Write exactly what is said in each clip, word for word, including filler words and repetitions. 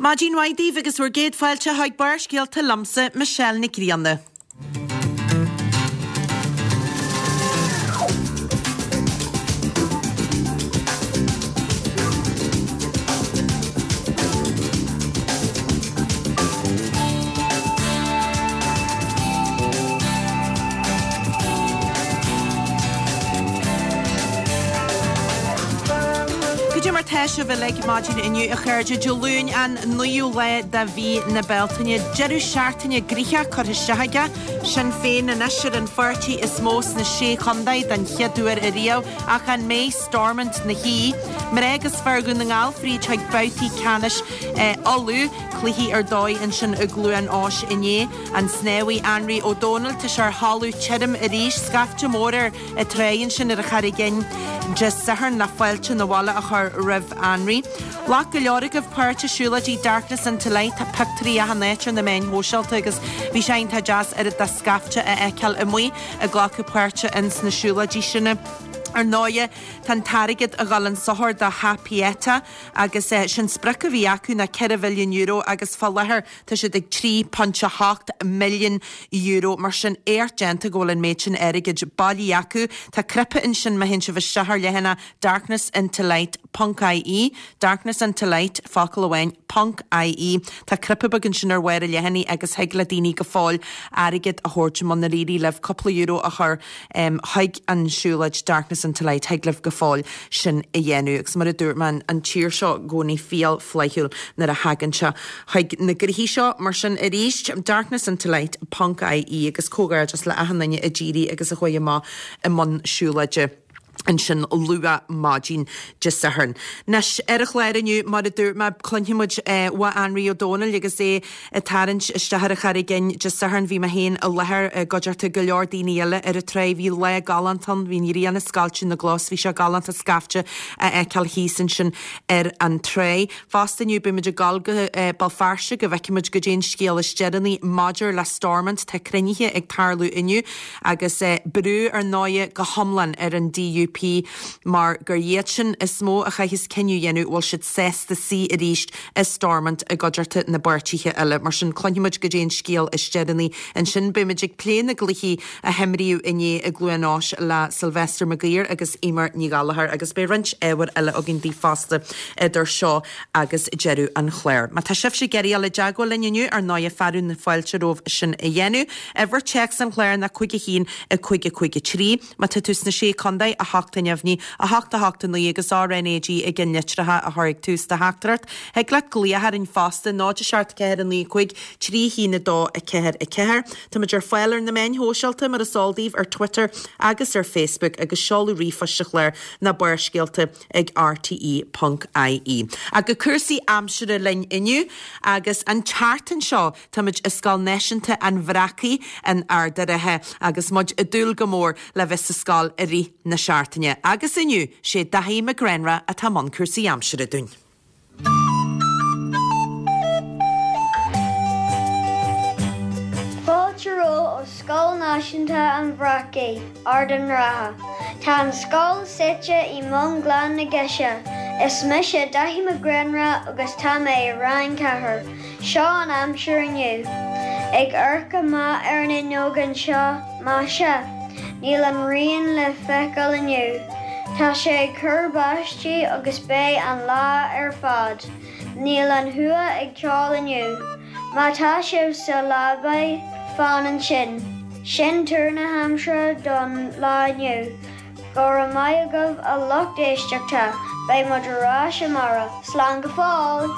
Maidin mhaith daoibh agus bhur gcéad fáilte chuig Barrscéalta liomsa, Michelle Nic Grianna. Cad é mar tá sibh uilig maidin inniu a chairde Dé Luain an naoú lá de mhí na Bealtaine. Deireadh seachtaine gnoitheach curtha isteach aige Sinn Féin anois ar an pháirtí is mó sna Sé Chontae den chéad uair ariamh ach an mbeidh Stormont ina shuí? Mná agus fir Dhún na nGall fríd chuig babhtaí ceannais Uladh, cluichí ar dóigh ansin i gCluain Eois inné. An snámhaí Anraí Ó Dónaill, tá sé ar thalamh tirim arís, scaifte mór ar an tráigh ansin ar an Charraig Fhinn Dé Sathairn le fáilte na bhaile a chur roimh Anraí. Ghlac go leor agaibh páirt i siúlóidí Darkness into Light, tá pictiúirí achan áit ar na meáin shóisialta agus bhí sé iontach deas oiread de scaifte a fheiceáil amuigh ag glacadh páirte ins na siúlóidí sin. Ar ndóighe, tá an t-airgead a dhul an sochar do Theach Pieta agus sin sprioc a bhí acu ná ceithre mhilliún euro agus fá láthair tá siad ag trí ponc a hocht milliún euro. Mar sin, éacht déanta go bhfuil an méid sin airgid bailithe acu. Tá cnaipe ansin má théann sibh isteach ar leathanach darknessintolight ponc ie, darknessintolight, focal amháin, ponc ie. Tá cnaipe beag ansin ar bharr an leathanaigh agus thig le daoine go fóill airgead a thabhairt munar éirigh libh cúpla euro a chur chuig an siúlóid Darkness into Light, thig libh go fóill sin a dhéanamh. Agus mar a dúirt mé, an tír seo i gcónaí fial flaithiúil nuair a thagann sé chuig na gnoithí seo. Mar sin arís, darkness into light ponc ie agus comhghairdeas le achan duine a d'éirigh agus a chuaigh amach i mbun siúlóide. ansin luath maidin Dé Sathairn. Anois, ar an chlár inniu, mar a dúirt mé, cluinfidh muid uaidh Anraí Ó Dónaill agus é ag tarraingt isteach ar an Charraig Fhinn Dé Sathairn. Bhí mé féin i láthair i gcuideachta go leor daoine eile ar an tráigh. Bhí lá galánta ann, bhí an ghrian ag scoilteadh na gcos, bhí sé galánta scaifte a fheiceáil thíos ansin ar an tráigh. Fosta inniu, beidh muid ag dul go Béal Feirste go bhfeicfidh muid goidé an scéal is deireanaí maidir le Stormont. Tá cruinnithe ag tarlú inniu agus brú ar ndóighe go hiomlán ar an DUP mar gur iad sin is mó a chaithfeas cinneadh a dhéanamh bhfuil siad sásta suí arís i Stormont i gcuideachta na bpáirtithe eile. Mar sin cluinfidh muid goidé an scéal is deireanaí ansin. Beidh muid ag plé na gcluichí a himríodh inné i gCluain Eois le Sylvester Maguire agus Eimear Ní Ghallchóir agus beidh roinnt ábhair eile againn daoibh fosta idir seo agus deireadh an chláir. Má tá sibhse ag iarraidh dul i dteagmháil linn inniu, ar ndóighe, fearadh na fáilte romhaibh sin a dhéanamh. Uimhir téacs an chláir ná cúig a haon, a cúig a cúig a trí. Má tá tú sna Sé Contae, a hocht a neamhní, a hocht a hocht a naoi agus RnaG i gceannlitreacha a chur ag tús do theachtaireacht. Thig leat glaoch orainn fosta, náid a seacht ceathair a naoi cúig trí haon a dó a ceathair a ceathair. Táimid ar fáil ar na meáin shóisialta, mar is eol daoibh, ar Twitter agus ar Facebook agus seoladh ríomhphoist an chláir ná Barrscéalta ag rte ponc ie. Ach go cúrsaí aimsire linn inniu agus an tseachtain seo táimid i Scoil Náisiúnta an Bhreacaigh in Ard a' Rátha agus muid ag dúil go mór le bheith sa scoil i rith na seachtaine. Agus inniu, sé Daithí Mac Gránra atá i mbun cúrsaí aimsire dúinn. Fáilte romhat ó Scoil Náisiúnta an Bhreacaigh, Ard an Rátha. Tá an scoil suite i mbun Ghleann na Geise. Is mise Daithí Mac Gránra agus tá mé i Rang ceathair. Seo an aimsir inniu. Ag amharc amach ar an fhuinneog anseo, maise, níl an ghrian le feiceáil inniu. Tá sé ag cur báistí agus beidh an lá ar fad. Níl an chuach ag ceol inniu. Má tá sibh sa leabaidh, fan ansin. Sin tuar na haimsire don lá inniu. Go raibh maith agaibh a lucht éisteachta, beidh muid ar ais amárach. Slán go fóill!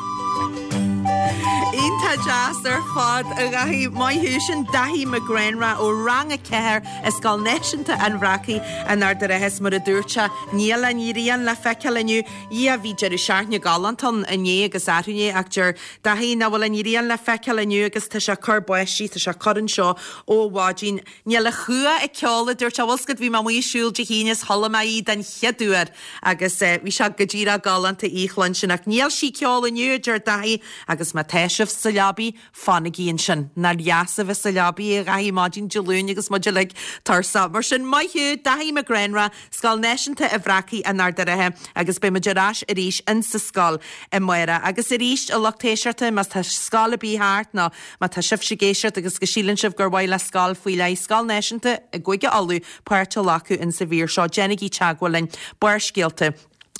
Iontach deas ar fad, a Dhaithí. Maith thú. Sin Daithí Mac Gránra ó Rang a ceathair i Scoil Náisiúnta an Bhreacaigh in Ard a' Rátha is mar a dúirt sé, níl an ghrian le feiceáil inniu. Dhia, bhí deireadh seachtaine galánta ann inné agus arú inné ach deir Daithí nach bhfuil an ghrian le feiceáil inniu agus tá sé ag cur báistí, tá sé ag cur anseo ó mhaidin. Níl an chuach ag ceol, a dúirt sé. Bhfuil 's agat, bhí mé amuigh ag siúl Dé hAoine is chuala mé í den chéad uair agus bhí sé go díreach galánta í a chluinstin. Ach níl sí ag ceol inniu, a deir Daithí, agus má tá sibh sa leaba, leabaidh, fanaigí ansin. Nár dheas a bheith sa leabaidh a Dhaithí maidin Dé Luain agus muid uilig tuirseach. Mar sin, maith thú, Daithí Mac Gránrá, Scoil Náisiúnta an Bhreacaigh in Ard an Rátha agus beidh muid ar ais arís insa scoil amárach. Agus arís, a lucht éisteachta, má tá scoil ar bith thart nó má tá sibhse ag éisteacht agus go síleann sibh gur mhaith le scoil faoi leith, Scoil Náisiúnta i gCúige Uladh, páirt a ghlacadh insa mhír seo, déanaigí teagmháil linn, Barrscéalta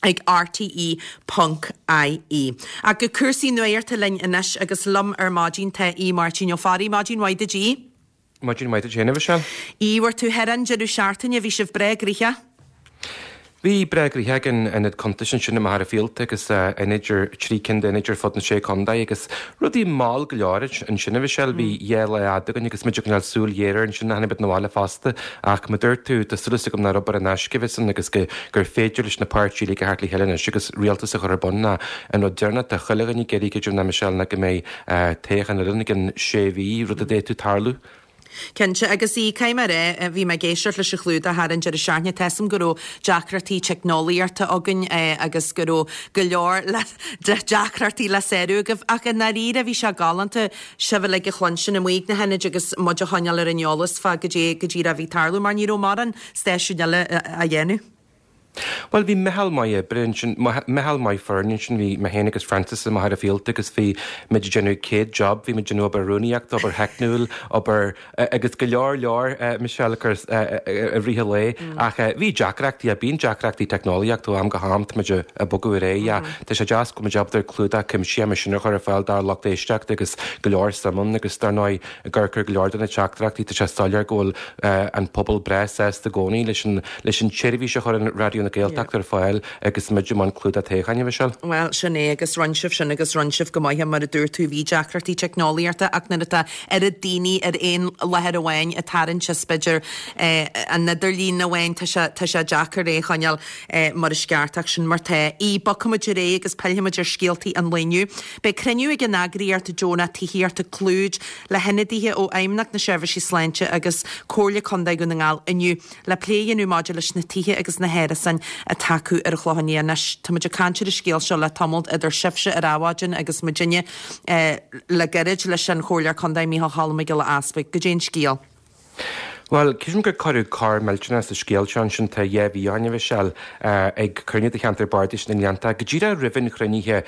ag rte ponc ie. Ach go cúrsaí nuachta linn anois agus liom ar maidin tá Aodh Máirtín Ó Fearraigh. Maidin mhaith duit, Aodh. Maidin mhaith duit féin, a Mhichelle. Aodh, bhur tú thoir an deireadh seachtaine, bhí sibh breá gnoitheach? Bhí breá gnoitheach ag an ionad cuntais ansin i Machaire Fíolta agus ionaid ar trí cinn d'ionaid ar fud na Sé Contae agus rudaí mall go leor ansin a Mhichelle. Bhí dhá lá fhada againn agus muid ag coinneáil súil ghéar air ansin tháinig muid 'na bhaile fosta ach mar dúirt tú tá súil agam nár obair in aisce a bhí ann agus go gur féidir leis na páirtithe uilig a theacht le chéile anois agus rialtas a chur ar bun ná an rud deireanach atá chuile dhuine ag iarraidh creidim ná Michelle ná go mbeidh toghchán eile i gcionn sé mhí rud a d'fhéadfadh tarlú. Cinnte, agus í, caithfidh mé a rá, bhí mé ag éisteacht leis an chlúdach thar an deireadh seachtaine, tá 'fhios a'm go raibh deacrachtaí teicneolaíochta againn agus go raibh go leor deacrachtaí le sárú agaibh, ach i ndáiríre bhí sé galánta sibh uilig a chluinstin amuigh ag na hionaid agus muid a choinneáil ar an eolas fá goidé go díreach a bhí ag tarlú mar ní raibh mórán stáisiúin eile á dhéanamh. Bhuel, bhí meitheal maith oibre ansin, meitheal maith foirne ansin, bhí mé féin agus Francis i Machaire Fíolta agus bhí muid ag déanamh céad job, bhí muid ag déanamh obair rúnaíochta, obair theicniúil, obair agus go leor leor, Michelle, i rith an lae. Ach bhí deacrachtaí, bíonn deacrachtaí teicneolaíochta ó am go ham, tá muid ag bogadh ar aghaidh. Tá sé deas go bhfuil muid ábalta clúdach cuimsitheach mar sin a chur ar fáil dár lucht éisteachta agus go leor suim ann agus dar ndóigh ag amharc ar go leor de na teachtaireachtaí, tá sé soiléir go bhfuil an pobal breá sásta i gcónaí leis an leis an tseirbhís a chuireann Raidió na Gaeltachta ar fáil agus muid i mbun clúdach toghcháin, a Mhichelle. Bhuel, sin é, agus rinne sibh sin agus rinne sibh go maith, mar a dúirt tú, bhí deacrachtaí teicneolaíochta ach nuair atá oiread daoine ar aon láthair amháin ag tarraingt as b'fhéidir an idirlíon amháin, tá sé, tá sé deacair é a choinneáil mar is ceart ach sin mar tá. Í, bogfaimid ar aghaidh agus pillfimid ar scéaltaí an lae inniu. Beidh cruinniú ag an eagraíocht deonach tithíochta Clúid le hionadaithe ó Fheidhmeannacht na Seirbhísí Sláinte agus Comhairle Contae Dhún na nGall inniu le plé a dhéanamh maidir leis na tithe agus na hárasáin atá acu ar an Chlochán Liath. Anois, tá muid ag caint ar an scéal seo le tamall idir sibhse ar Adhmhaidin agus muidinne le gairid leis an Chomhairleoir Contae Micheál Choilm Mac Giolla Easbuig. Goidé an scéal? Bhuel, creidim gur cuireadh cor millteanach sa scéal seo ansin tá dhá mhí ó shin, a Mhichelle, ag cruinniú de cheantar bardais na nGleanntach. Go díreach roimh an chruinnithe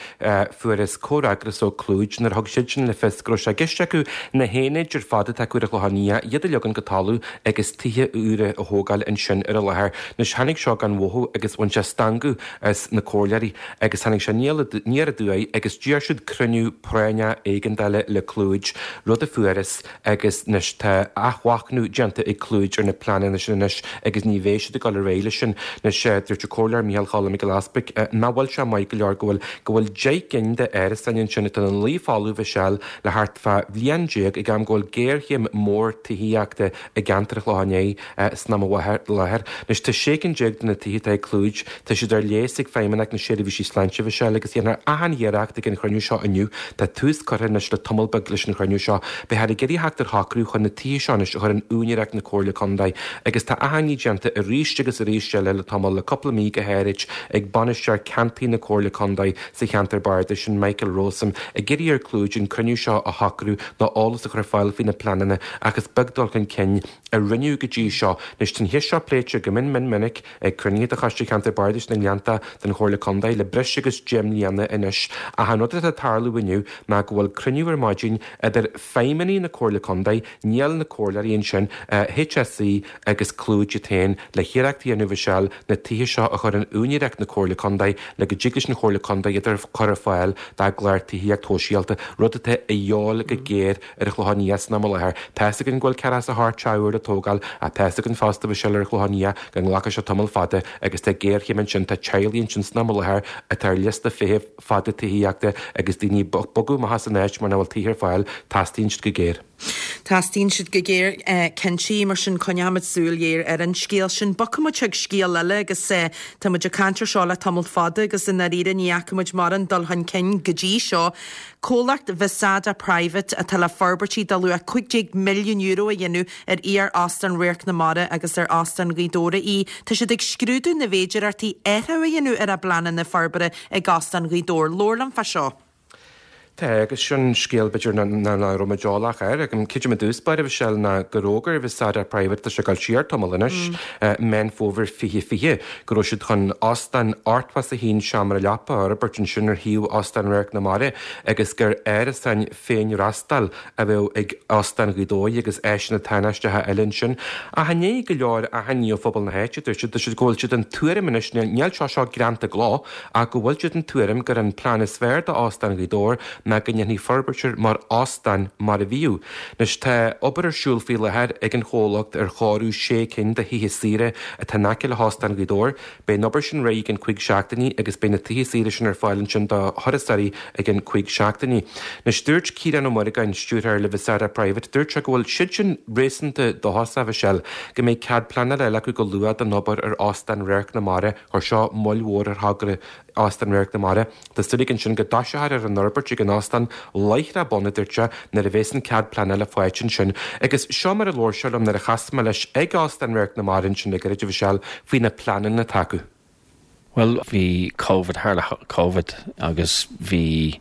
fuarthas comhfhreagras ó Clúid nuair a thug siadsan le fios go raibh sé i gceist acu na haonaid ar fad atá acu ar an Chlochán Liath, iad a leagan go talamh agus tithe úra a thógáil ansin ar an láthair. Anois tháinig seo gan mhothú agus bhain sé stangadh as na comhairleoirí agus tháinig sé aniar aduaidh agus d'iarr siad cruinniú práinneach éigeandála le Clúid, rud a fuarthas agus anois tá athmhachnamh déanta ag Clúid ar na pleananna sin anois agus ní bheidh siad ag dul ar aghaidh leis sin. Anois, dúirt an Comhairleoir Micheál Choilm Mac Giolla Easbuig nach bhfuil sé maith go leor go bhfuil go bhfuil deich gcinn d'árasáin ansin atá ina luí folamh a Mhichelle le thart fá bhliain déag ag am go bhfuil géarchéim mhór tithíochta i gceantar an Chlocháin Léith san am i láthair. Anois tá sé cinn déag de na tithe atá ag Clúid, tá siad ar léas ag Feidhmeannacht na Seirbhísí Sláinte a Mhichelle agus dhéanfar achan iarracht ag an chruinniú seo inniu. Tá tús curtha anois le tamall beag leis an chruinniú seo. Beifear ag iarraidh theacht ar shocrú chun na tithe seo anois a chur in úinéireacht na Comhairle Contae agus tá achainí déanta arís agus arís eile le tamall, le cúpla mí go háirid, ag bainisteoir ceantair na Comhairle Contae sa cheantar bardais sin, Michael Rowsome, ag iarraidh ar Clúid an cruinniú seo a shocrú nó eolas a chur ar fáil faoi na pleananna ach is beag dul chun cinn a rinneadh go dtí seo. Anois tá an cheist seo pléite go mion mion minic ag cruinnithe de Choiste Cheantar Bardais na nGleannta den Chomhairle Contae le breis agus deich mbliana anois ach an rud atá ag tarlú inniu ná go bhfuil cruinniú ar maidin idir feidhmeannaigh na Comhairle Contae, níl na comhairleoirí ansin, HSE agus Clúid iad féin le hiarracht a dhéanamh a Mhichelle na tithe seo a chur in úinéireacht na Comhairle Contae le go dtig leis an Chomhairle Contae iad a chur ar fáil dá gclár tithíocht shóisialta, rud atá a dhíobháil go géar ar an Chlochán Liath san am i láthair. Tá 'fhios againn go bhfuil ceathracha is a hocht teach úr le tógáil ach tá 'fhios againn fosta a Mhichelle ar an Chlochán Liath go nglacfaidh sé tamall fada agus tá géarchéim ansin, tá teaghlaigh ansin san am i láthair atá ar liosta feithimh fada tithíochta agus daoine ag bogadh amach as an áit mar nach bhfuil tithe ar fáil, teastaíonn siad go géar. Teastaíonn siad go géar, cinnte, mar sin coinneoimid súil ghéar ar an scéal sin. Bogfaimid chuig scéal eile agus tá muid ag caint ar seo le tamall fada agus i ndáiríre ní fhaca muid mórán dul chun cinn go dtí seo. Comhlacht Visada Private atá le forbairtí de luach cúig déag milliún euro a dhéanamh ar iar-Óstán Radharc na Mara agus ar Óstán Ghaoth Dobhair í. Tá siad ag scrúdú na bhféidearthachtaí athrú a dhéanamh ar a bpleananna forbartha ag Óstán Ghaoth Dobhair. Labhair liom fá seo. Tá agus sin scéal b'fhéidir nach raibh muid eolach air ag creidim i dtús báire Michelle ná gur fhógair Visada Private tá sé ag dul siar tamall anois Meán Fómhair fiche fiche go raibh siad chun óstán ochtó is a haon seomra leapa a fhorbairt ansin ar shuíomh Óstán Radharc na Mara agus gur árasáin féinfhreastail a bheadh ag Óstán Ghaoth Dobhair agus áiseanna tánaisteacha eile ansin. Ach i ndiaidh go leor achainí ó phobal na háite dúirt siad dúirt siad go bhfuil siad den tuairim anois níl seo seo greanta i gcló ach go bhfuil siad den tuairim gur an plean is fearr d'Óstán Ghaoth Dobhair ná go ndéanfaí forbairt air mar óstán mar a bhíodh. Anois tá obair ar siúl faoi láthair ag an chomhlacht ar chóiriú sé cinn de thithe saoire atá in aice le hÓstán Ghaoth Dobhair. Beidh an obair sin réidh i gceann cúig seachtainí agus beidh na tithe saoire sin ar fáil ansin do thurasóirí i gceann cúig seachtainí. Anois dúirt Ciarán Ó Muireagáin, stiúrthóir le Visada Private, dúirt sé go bhfuil siad sin réasúnta dóchasach Michelle go mbeidh cead pleanála eile acu go luath don obair ar Óstán Radharc na Mara chuir seo moill mhór ar thogra Óstán Radharc na Mara. Tá súil aige ansin go dtosófar ar an fhorbairt ag an óstán láithreach bonn a dúirt sé nuair a bheas an cead pleanála faighte ansin. Agus seo mar a labhair sé liom nuair a chas mé leis ag Óstán Radharc na Mara ansin le gairid Michelle faoi na pleananna atá acu. Well bhí COVID tharla COVID agus bhí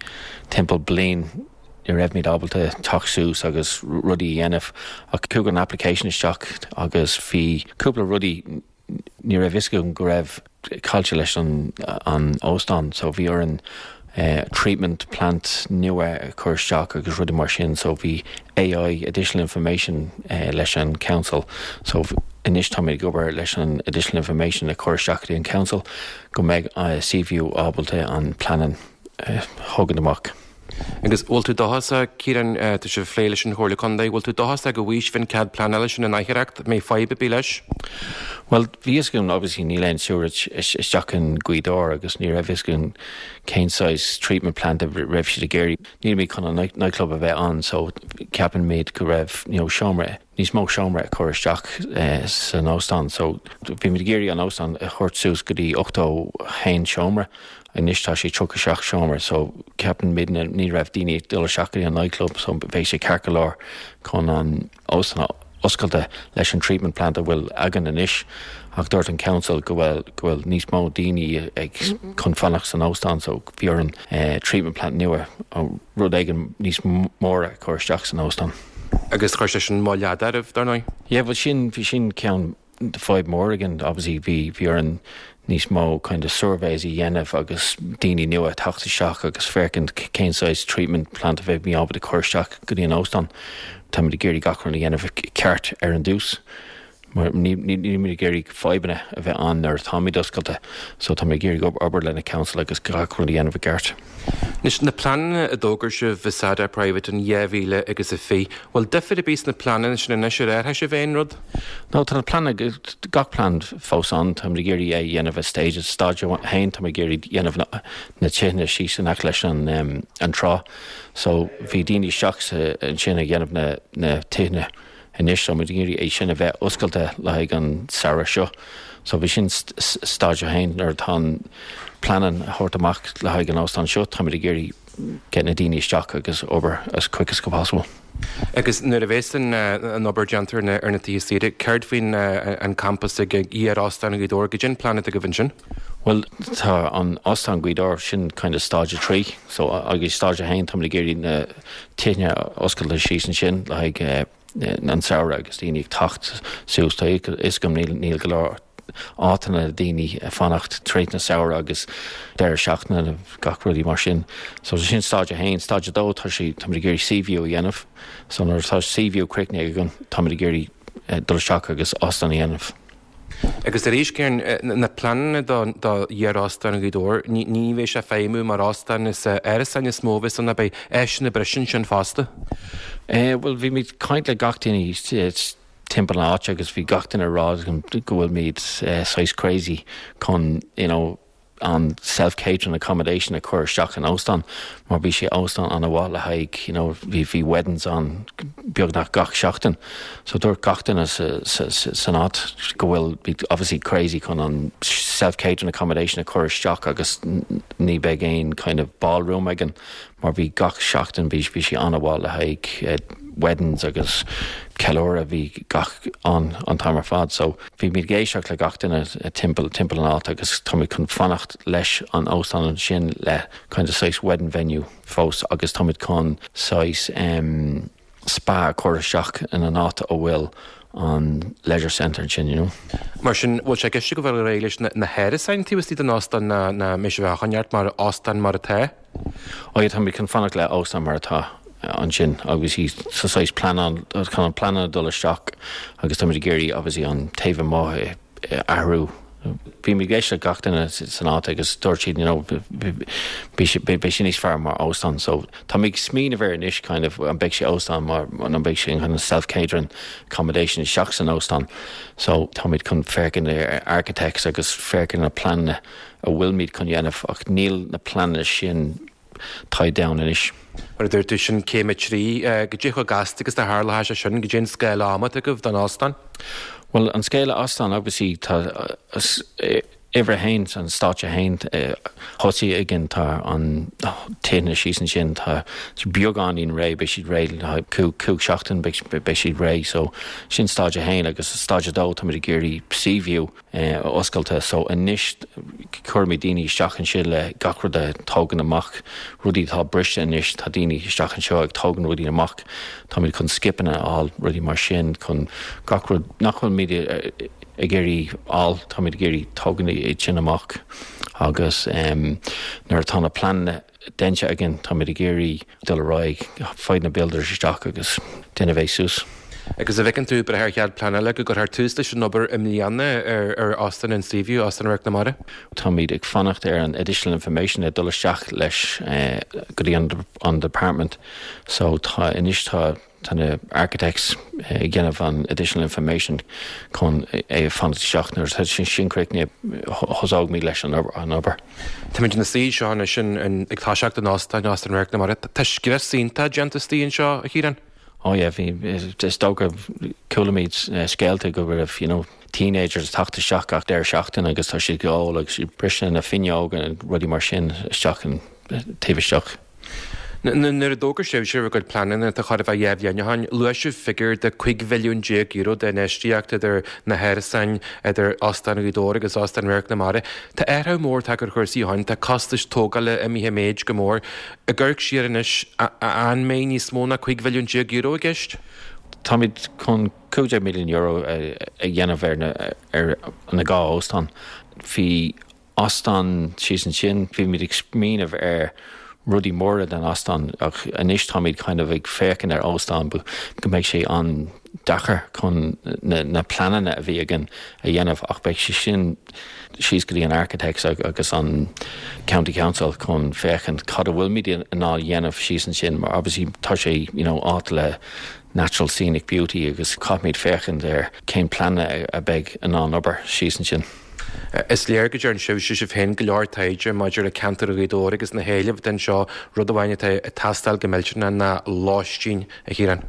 timpeall bliain ní raibh ábalta teacht suas agus rudaí a dhéanamh ach chuaigh an application isteach agus bhí cúpla rudaí ní raibh fhios agam go raibh caillte leis an an óstán so bhí orainn uh, treatment plant nua a chur isteach agus rudaí mar sin so bhí AI additional information uh, leis an council so anois tá ag obair leis an additional information a chur isteach an council go mbeidh uh, Seaview ábalta an plean uh, thógaint amach. Agus bhfuil tú dóchasach Ciarán tá sibh ag plé leis an Chomhairle Contae, bhfuil tú dóchasach go bhfaighidh sibh an cead pleanála sin in aicheacht mé fadhb bí leis? Well bhí fhios agam obviously níl aon sewerage isteach in Gaoth Dobhair agus ní raibh fhios agam cén size treatment plant a raibh siad ag iarraidh. Níl mé chun an nightclub a bheith ann so ceapann mé go raibh you know, seomra níos mó seomra a chur isteach eh, san óstán so bhí muid ag iarraidh an óstán a chur suas go dtí ochtó haon seomra anois tá sé tríocha seacht seomra so ceapann mé ní raibh daoine dul isteach an nightclub so bheidh sé ceart go leor chun an óstán oscailte leis an treatment plant a bhfuil againn anois ach dúirt an council go bhfuil go bhfuil níos mó daoine ag chun fanacht san óstán so bhí an eh, treatment plant nua rud éigin níos móra chur isteach san óstán. Agus chuir sé sin moill oraibh dar ndóigh? Yeah, well sin bhí sin ceann de fadhb mór againn obviously bhí bhí an níos mó kind of surveys a dhéanamh agus daoine nua teacht isteach agus féachaint cén size treatment plant a bheidh mé ábalta chur isteach go dtí an óstán. Tá ag iarraidh gach rud a dhéanamh ceart ar an dtús. Mar ní ní ag iarraidh fadhbanna a bheith ann nuair táimid oscailte, so tá ag iarraidh obair lena council agus gach rud a dhéanamh i gceart. Anois na pleananna a d'fhógair sibh Visada Private in dhá mhíle agus a fiche, bhfuil difear ar bith sna pleananna sin anois ar athraigh sibh aon rud? No tá na plean gach plean fós ann tá ag iarraidh é dhéanamh a stage stage a haon tá ag iarraidh dhéanamh na, na tithe síos in aice leis an um, an trá. So bhí daoine isteach ansin ag dhéanamh na, na tithe anois so muid ag iarraidh é sin a bheith oscailte le haghaidh an samhradh seo. So bhí sin stage a haon nuair atá an plean a thabhairt amach le haghaidh an óstán seo tá ag iarraidh get na daoine isteach agus obair as quick as go possible. Agus nuair a bheas an an obair déanta ar na tithe saoire, céard faoin an campus ag iar-Óstán Ghaoth Dobhair goidé an plean atá agaibh ansin? Well tá an Óstán Ghaoth Dobhair sin kind of stage a trí, so agus stage a haon tá ag iarraidh na tithe oscailte síos ansin le haghaidh an samhradh agus daoine ag teacht suas is go níl níl go leor áiteanna daoine fanacht tríd na samhradh agus deireadh seachtaine gach rudaí mar sin. So sin stage a haon, stage a dó tá sé tá ag iarraidh Seaview a dhéanamh, so nuair tá Seaview críochnaithe againn tá ag iarraidh dul isteach agus óstán a dhéanamh. Agus arís Ciarán na pleananna do iar-Óstán Ghaoth Dobhair, ní bheidh sé feidhmiú mar óstán is árasáin is mó bheidh ann beidh áiseanna breise ansin fosta. Eh, well bhí muid caint le gach duine timpeall na háite agus bhí gach duine rá go bhfuil muid uh, saghas crazy chun you know, an self-catering accommodation a chur isteach in óstán mar bhí sé óstán an-mhaith le haghaidh you know, bhí bhí weddings ann beagnach gach seachtain so dúirt gach duine san áit go bhfuil bhí obviously crazy chun an self-catering accommodation a chur isteach agus ní bheidh aon kind of ballroom againn mar bhí gach seachtain bhí bhí sé an-mhaith le haghaidh uh, weddings agus ceiliúradh bhí gach an an t-am ar fad so bhí muid ag éisteacht le gach duine timpeall timpeall an áit agus táimid chun fanacht leis an óstán sin le kind of saghas wedding venue fós agus táimid chun saghas um, spa chur isteach in an áit a bhfuil an leisure centre sin you know. Mar sin bhfuil sé ceiste go bhfuil rééis leis na hárasáin taobh istigh den óstán na na mé bheith choneart mar óstán mar atá? Ó tá chun fanacht le óstán mar atá ansin agus í sa saghas plean chun an plean dul isteach agus tá géirí agus í an taobh amuigh athrú. Bhí mé ag éisteacht le gach duine san áit agus dúirt siad you know, beidh sé níos fearr mar óstán so tá mé ag smaoineamh air anois kind of an beidh sé óstán mar an beidh sé kind of self-catering accommodation isteach san óstán so táimid chun féachaint ar architects agus féachaint na pleananna a bhfuilmid chun dhéanamh ach níl na pleananna sin tied down anois. Mar dúirt tú sin céim a trí cad é chomh gasta agus a tharla sé sin cad é an scála ama agaibh don óstán? Well an scála óstán obviously tá uimhir a haon an stáitse a haon thosaigh again tá an tine síos ansin tá beagáinín réidh beidh siad réidh le cúig seachtain beidh siad réidh so sin stáitse a haon agus stáitse a dó tá ag iarraidh Seaview oscailte so anois cuirfimid daoine isteach ansin le gach rud a tógaint amach rudaí tá briste anois tá daoine isteach anseo ag tógaint rudaí amach Táimid chun skipeanna a fháil rudaí mar sin chun gach rud nach bhfuil ag iarraidh fháil táimid ag iarraidh tógaint iad sin amach agus um, nuair atá na pleananna déanta againn táimid ag iarraidh dul ar aghaidh fáil na builders isteach agus déanamh é suas. Agus a bhfeiceann tú breith ar chead pleanála go gcuirfear tús leis an obair i mbliana ar ar Óstán an Seaview Óstán Radharc na Mara? Táimid ag fanacht ar an additional information ag dul isteach leis eh, go dtí an, an department so tá anois tá tá na architects ag déanamh an additional information chun é fanacht isteach nuair tá sin sin críochnaithe thosóimid leis an an obair. Táimid ina suí seo sin ag toiseacht an óstán Óstán Radharc na Mara. Tá scrios iontach déanta istigh anseo a Chiaráin? Oh yeah, bhí is dócha chualaimid scéalta go raibh you know, teenagers teacht isteach gach deireadh seachtain agus tá siad ag ól agus siad briseadh na fuinneoga rudaí mar sin isteach an taobh isteach. Nuair a d'fhógair sibh sibh a gcuid pleananna tá chóir a bheith dhá bhliain ó shin, luaigh sibh figiúr de cúig mhilliún déag euro d'infheistíocht idir na hárasáin idir Óstán Ghaoth Dobhair agus Óstán Radharc na Mara. Tá athrú mór tagtha ar chúrsaí ó shin, tá costais tógála imithe i méid go mór. Ag amharc siar anois an mbeidh níos mó ná cúig mhilliún déag euro i gceist? Táimid chun cúig déag milliún euro a dhéanamh ar na ar na dhá óstán. Bhí óstán síos ansin, bhí muid ag smaoineamh ar rudaí móra den óstán ach anois táimid kind of ag féachaint ar óstán go mbeidh sé an-deacair chun na, na pleananna a bhí againn a dhéanamh ach beidh sé sin síos go dtí an architects agus an County Council chun féachaint cad a bhfuilmid in ann a dhéanamh síos ansin mar obviously tá sé you know, áit le natural scenic beauty agus caithfimid féachaint ar cén pleananna a bheidh in ann obair síos ansin. Is léir go dtearn sibh sibh féin go leor taighde maidir le ceantar Ghaoth Dobhair agus na héilimh den seo rud amháin atá ag teastáil go millteanach ná lóistín a Chiaráin.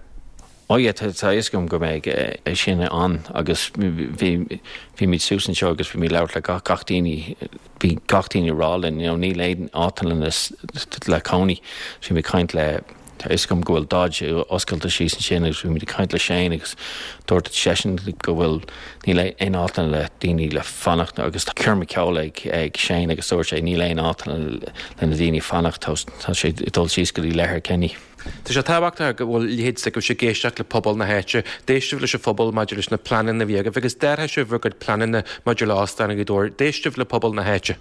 Ó yeah, tá fhios agam go mbeidh é sin ann agus bhí bhí suas anseo agus bhí mé labhairt le gach gach daoine bhí gach daoine rá linn you know, níl aon áiteanna le cónaí bhí mé caint le Tá fhios agam go bhfuil Dodge oscailte síos ansin agus bhí muid ag caint le Shane agus dúirt seisean go bhfuil níl aon áiteanna le daoine le fanacht agus coirm ceoil ag ag Shane agus dúirt sé níl aon áiteanna le na daoine fanacht tá sé dul síos go dtí Letterkenny. Tá sé tábhachtach go bhfuil leithéid go sé ag éisteacht le pobal na háite, d'éist sibh leis an phobal maidir leis na pleananna a bhí agaibh agus d'athraigh sibh bhur gcuid pleananna maidir le Óstán Ghaoth Dobhair, d'éist sibh le pobal na háite.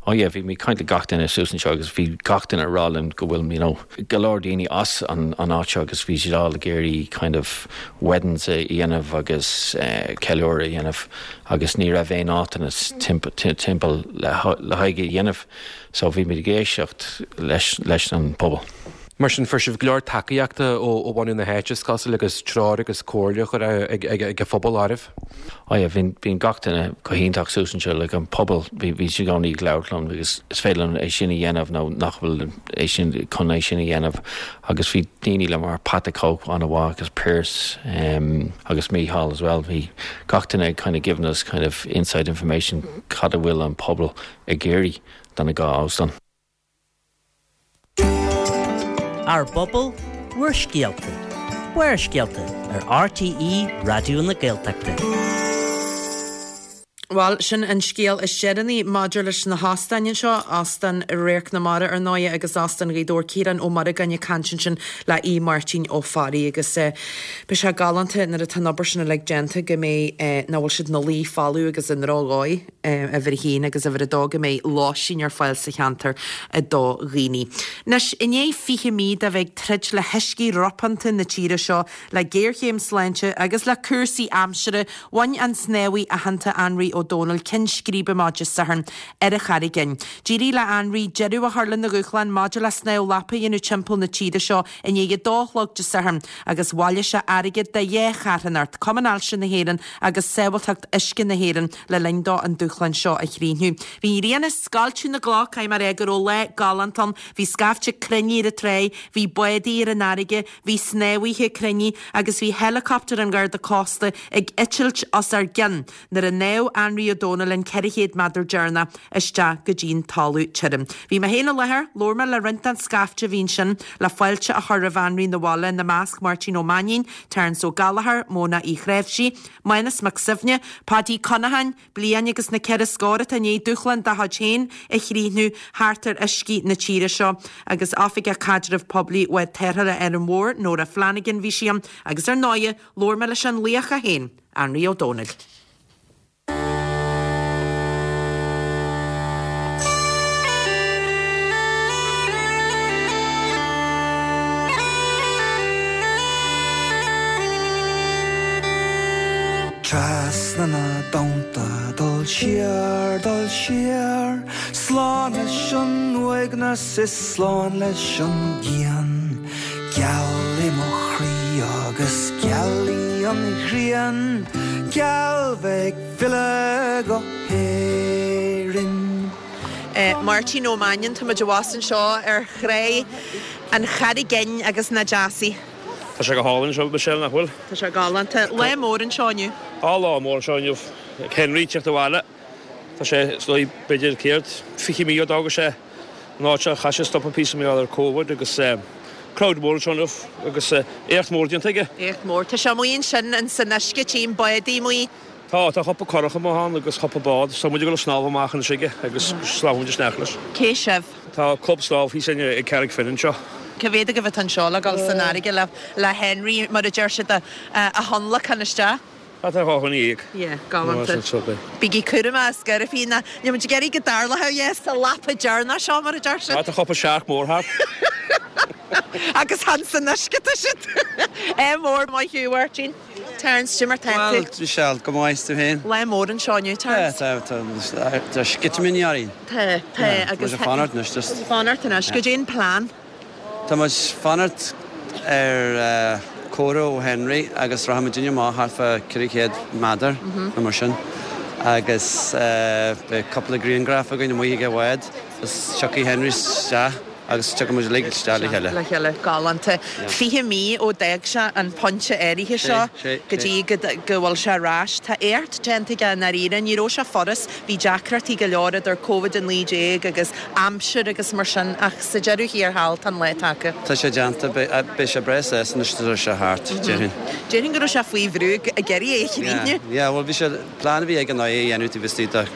Oh yeah, bhí mé caint le gach duine suas anseo agus bhí gach duine rá linn go bhfuil you know, go leor daoine as an an áit seo agus bhí siad all ag iarraidh kind of weddings a dhéanamh agus uh, ceiliúradh a dhéanamh agus ní raibh aon áiteanna timpeall le le haghaidh a dhéanamh so bhí muid ag éisteacht leis leis an pobal. Mar sin fuair sibh go leor tacaíochta ó ó bhunú na háite is cosúil agus treoir agus comhairle chur ag ag ag a phobal áirithe. Oh yeah, bhí bhí gach duine go hiontach suas anseo le an pobal bhí bhí siad ag labhairt liom agus is féidir liom é sin a dhéanamh nó nach bhfuil é sin chun é sin a dhéanamh agus bhí daoine le mar Pat Cope an-mhaith agus Pierce um, agus Mícheál as well bhí gach duine kind of given us kind of inside information cad a bhfuil an pobal ag iarraidh don dhá óstán. Ár bpobal, ár scéalta. Barrscéalta ar RTÉ Raidió na Gaeltachta. Bhuel sin an scéal is deireanaí maidir leis na hóstáin seo Óstán Radharc na Mara ar ndóigh agus Óstán Ghaoth Dobhair Ciarán Ó Muireagáin ag caint ansin le Aodh Máirtín Ó Fearraigh agus eh, beidh sé galánta nuair atá an obair sin uilig déanta go mbeidh eh, nach bhfuil siad ina luí folamh agus i ndrochdhóigh eh, uimhir a haon agus uimhir a dó go mbeidh lóistín ar fáil sa cheantar do dhaoine. Anois i ndiaidh fiche mí de bheith ag troid le huiscí ropánta na tíre seo le géarchéim sláinte agus le cúrsaí aimsire bhain an snámhaí aitheanta Anraí Ó Dónaill ceann scríbe maidin Sathairn ar an Charraig Fhinn. D'éirigh le Anraí deireadh a chur lena dhúshlán maidir le snámh lapa a dhéanamh timpeall na tíre seo i ndiaidh a dó a chlog Dé Sathairn agus bhailigh sé airgead do dhá charthanacht, Cumann Ailse na hÉireann agus Sábháilteacht Uisce na hÉireann le linn dó an dúshlán seo a chríochnú. Bhí an ghrian ag scoilteadh na gcloch mar é go raibh lá galánta ann, bhí scaifte cruinnithe ar an trá, bhí bádaí ar an fharraige, bhí snámhaithe cruinnithe agus bhí helicopter an Gharda Cósta ag eitilt os ár gcionn nuair a shnámh Anraí Ó Dónaill an ceithre chéad méadar deireanach isteach go dtí'n talamh tirim. Bhí mé féin i láthair, labhair mé le roinnt den scaifte a bhí ansin le fáilte a chur roimh Anraí 'na bhaile ina measc Máirtín Ó Mainnín, Terence Ó Gallchóir, Móna Uí Chráimhsí, Mánas Mac Suibhne, Paddy Conacháin, bliain agus na ceithre scór atá i ndiaidh dúshlán dá chuid féin a chríochnú thart ar uiscí na tíre seo agus Oifigeach Caidreamh Poiblí Bhád Tarrthála Árainn Mhór, Nóra Flanagan bhí sí ann, agus ar ndóigh labhair mé leis an laoch é féin, Anraí Ó Dónaill. Trasna na dtonnta dul siar dul siar, Slán leis an uaigneas is slán leis an gcian. Geal i mo chroí agus geal í an ghrian, Geal bheith ag filleadh go hÉirinn. Eh, Máirtín Ó Mainnín tá muid abhus anseo ar thrá an Charraig Fhinn agus nach deas í. Tá sé go hálainn seo Michelle nach bhfuil? Tá sé galánta. Lá mór anseo inniu. Á lá mór anseo inniu Henry ag teacht abhaile. Tá sé slí b'fhéidir céard fiche mí ó d'fhág sé an áit seo chaith sé stopadh píosa mar gheall ar Covid agus crowd mór anseo inniu agus éacht mór déanta aige. Éacht mór. Tá sé amuigh ansin in san uisce tchím bádaí amuigh. Tá tá cúpla curach amuigh ann agus cúpla bád, so muid ag dul ag snámh amach anois aige agus snámhfaidh muid isteach leis. Cé sibh? Tá club snámh thíos ag Carraig Finn anseo. Cá mhéad agaibh atá anseo le dul san fharraige le le Henry mar a deir siad a a thionlacan isteach? Tá dhá dhuine dhéag. Yeah, galánta. Bígí cúramach is gairbhí na Níl muid ag iarraidh go dtarlódh yes, sa lapa deireanach seo mar a deir siad. Tá cúpla searc mór thart. Agus chan san uisce atá siad. É mór maith thú Mháirtín. Terence cad é mar tá Well, tú. Michelle, go maith tú féin. Lá mór anseo inniu Terence. Tá tá tá sceitimíní orainn. Tá tá agus Tá fanacht anois just. Fanacht anois cad é an plean. Tá muid fanacht ar comhartha ó Henry agus rachaimid amach thart fá ceithre chéad méadar nó mar sin. Agus beidh cúpla grianghraf againn amuigh ag an bhád is tiocfaidh Henry isteach agus tiocfaidh muid uilig isteach le chéile. Le chéile galánta. Fiche mí ó d'fhág sé an pointe áirithe seo go dtí go go bhfuil sé ar ais. Tá éacht déanta aige i ndáiríre, ní raibh sé furast, bhí deacrachtaí go leor idir Covid a naoi déag agus aimsir agus mar sin ach sa deireadh thiar thall tá an lá tagtha. Tá sé déanta beidh sé breá sásta anois tá sé thart, déarfainn. Déarfainn go raibh sé faoi bhrú ag iarraidh é a chríochnú. Yeah, well bhí sé plean a bhí ag an é a dhéanamh taobh istigh de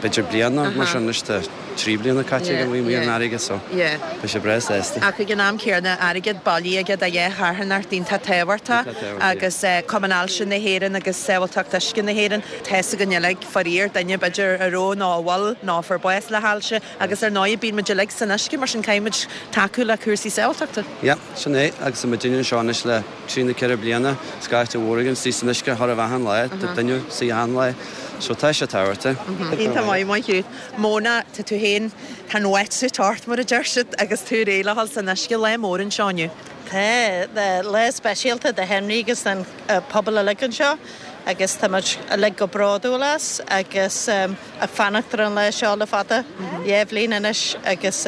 b'fhéidir bliain nó mar sin anois tá trí bliana caite ag an mí an fharraige so beidh sé breá sásta. Ach ag an am céanna airgead bailithe aige do dhá charthanacht iontach tábhachtach agus Cumann Ailse na hÉireann agus Sábháilteacht Uisce na hÉireann. Tá fhios againn uilig faraor duine b'fhéidir a raibh nó a bhfuil nó a fuair bás le hailse agus ar ndóigh bíonn muid uilig san uisce mar sin caithfidh muid tacú le cúrsaí sábháilteachta. Yeah, sin é agus tá muid anseo anois le trí nó ceithre bliana scaifte mhór againn istigh san uisce chóir a bheith achan lá, tá duine istigh achan lá. So tá sé tábhachtach. Iontach maith maith thú. Móna, tá tú féin tá an wetsuit ort mar a deir siad agus tú réidh le dhul san uisce lá mór anseo inniu. Tá lá speisialta do Henry agus don pobal uilig anseo agus tá muid uilig go bródúil as agus ag fanacht ar an lá seo le fada dhá bhliain anois agus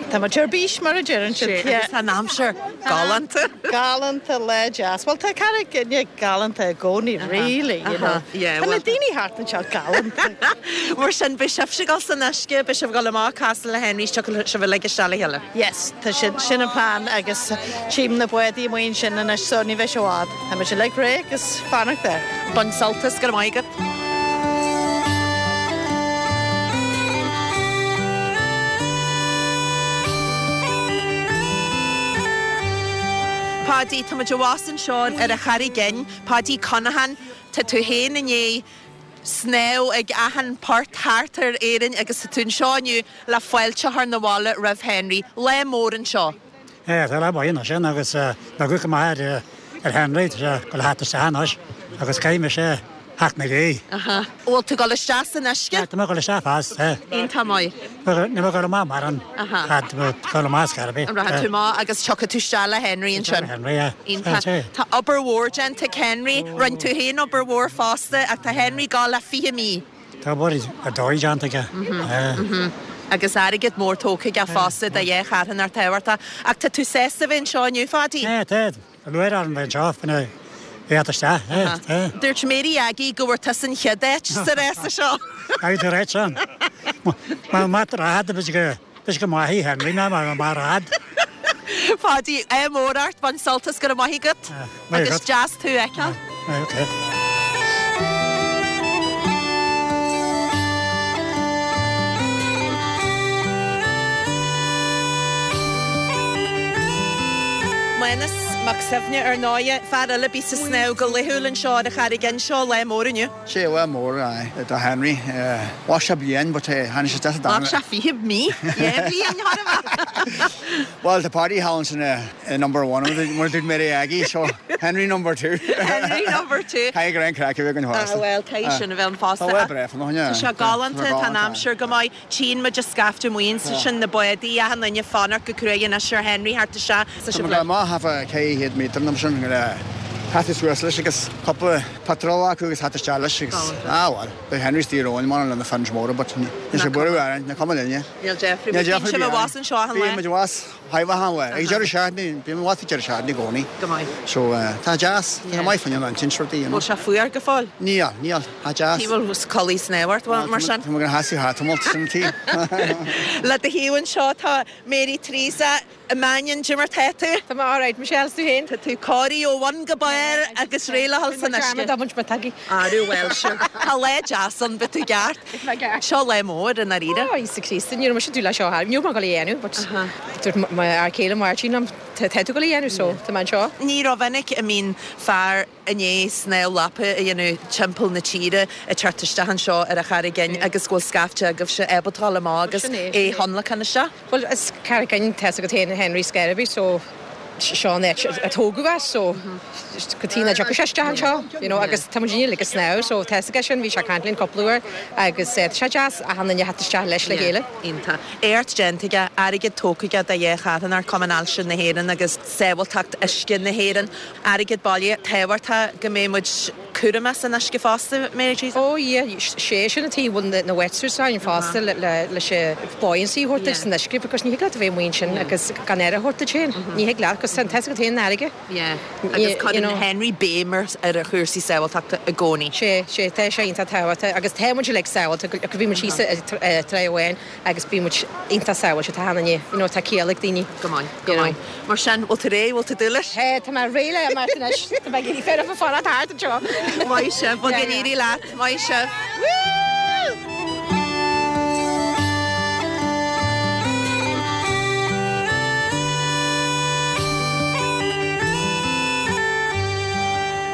tá muid ar bís mar a deireann siad. Sé, agus tá an aimsir galánta. Galánta lá deas. Well tá Carraig Fhinne galánta i gcónaí really, you know. Yeah, Tá na well- daoine thart anseo galánta. Mar sin beidh sibhse ag dul san uisce, beidh sibh ag dul amach casadh le Henry tiocfaidh sibh uilig isteach le chéile. Yes, tá sin sin an plan agus tchím na bádaí amuigh ansin anois so ní bheidh sé i bhfad. Tá muid uilig réidh agus fanacht air. Bain sult as, go raibh maith agat. Paddy, tá muid abhus anseo ar an Charraig Fhinn, Paddy Conaghan, tá tú féin i ndiaidh snámh ag achan port thart ar Éirinn agus tá tú anseo inniu le fáilte a chur 'na bhaile roimh Henry. Lá mór anseo. É, tá lá maith sin agus go maith ar ar Henry tá go hat isteach anois agus caithfidh mise theacht na gaoth. Aha. Bhfuil tú dul isteach san uisce? Tá mé dul isteach fás. Iontach maith. Ní go maith mar an go maith scarbe. An rachaidh tú amach agus tiocfaidh tú isteach le Henry ansin. Henry, yeah. Iontach. Tá obair mhór déanta ag Henry, rinne tú féin obair mhór fosta ach tá Henry ag dul le fiche mí. Tá obair ar dóigh déanta aige. Agus airgead mór tógtha aige fosta do dhá charthanacht tábhachtach. Ach tá tú sásta bheith anseo inniu, Phaddy? É, tá. Lúcháir orm bheith anseo faoina bheith isteach. Dúirt Mary Aggie go bhfuair tusa an chéad áit sa rása seo. Tá tú réit sin. Má má rád go b'fhéidir go maith Henry ná mar mar rád. Phaddy, ádh mór ort, bain sult as, go raibh maith agat. Maith Agus agat. deas tú a fheiceáil. Okay. Mánas Mac Suibhne ar ndóigh, fear eile a bhíos ag snámh go laethúil anseo ar an Charraig Fhinn seo lá mór inniu. Sé lá mór do Henry. Bha sé bliain, but tháinig sé deas Bha sé fiche mí, dhá bhliain thar a bheith. Well, the party hall sin number one mar dúirt Mary Aggie, so Henry number two. Henry number two. Caithfidh go raibh an craic a bheith againn fosta. Ah, well, caithfidh sin a bheith ann fosta. Tá lá breá fan, Tá sé galánta, tá an aimsir go maith. Tchíonn muid an scaifte amuigh ansin sin na bádaí achan duine ag fanacht go cruaidh anois ar Henry thart isteach. Tá sé Tá má hafa cé hiad méter nam sin go Hat suas leis agus cúpla patrol acu agus hat isteach leis agus ah well, beidh Henry stír óin mar lena fans móra, but ní sé buú ar na cuma linne. Níl Jeffrey, bíonn sibh abhus anseo achan lá. Bíonn muid abhus achan lá. Ag deireadh seachtaine, bíonn muid ag deireadh seachtaine i gcónaí. Go maith. So tá deas, tá maith fan an tinseartaí. Bhfuil sé fuar go fóill? Níl, níl, tá deas. Tí bhfuil culaith snámha ort mar sin? Tá go hasi hatamalt sin tí. Le do thaobh anseo tá Mary Teresa Mannion Jimmer tá tú? Tá mé alright, Michelle, tú féin? Tá tú cóirithe ó bhun go barr agus réidh le dhul san uisce. Tá muid tagtha. Arú well sure. Tá lá deas ann, beidh tú ceart. Seo lá mór i ndáiríre. Ó, Íosa Críost, ní raibh mise dúil le seo thar. Ní raibh mé ag dul a dhéanamh, but dúirt mo fhear céile Máirtín liom, tá tú ag dul a dhéanamh, so tá mé anseo. Ní rómhinic a mbíonn fear i ndiaidh snámh lapa a dhéanamh timpeall na tíre ag teacht isteach anseo ar an Charraig Fhinn agus go bhfuil scaifte agaibhse ábalta dul amach agus é a thionlacan isteach. Well, is Carraig Fhinn tá a fhios agat féin Henry Scarby, so seo an áit a tógadh as, so go tí na dtiocfaidh sé isteach anseo, you know, agus tá muid uilig ag snámh, so tá a fhios aige sin, bhí sé ag caint linn cúpla uair agus tá sé deas achan duine a theacht isteach leis le chéile. Iontach. Éacht déanta aige, airgead tógtha aige do dhá charthanacht, Cumann Ailse na hÉireann agus Sábháilteacht Uisce na hÉireann. Airgead baile tábhachtach go mbeidh muid cúramach san uisce fosta, Mary Teresa? Ó yeah, sé sin an tuige a bhfuil na wetsuits ann fosta le leis an buoyancy a thabhairt duit san uisce, because ní thig leat a bheith amuigh ansin agus gan aire a thabhairt duit féin. Ní thig leat, cos tá a fhios agat féin an fharraige. Yeah. Agus cuireann Henry béim ar a chúrsaí sábháilteachta i gcónaí. Sé, sé, tá sé iontach tábhachtach agus tá muid uilig sábháilte, go bhí muid thíos i Trá amháin agus bhí muid iontach sábháilte, tá achan duine, you know, tá ciall ag daoine. Go maith, go maith. Mar sin, bhfuil tú réidh, bhfuil tú dúil leis? Tá, tá mé réidh le imeacht anois, tá mé ag iarraidh fear of a fanacht thart anseo. Maith sibh, bhuel go n-éirí leat, maith sibh.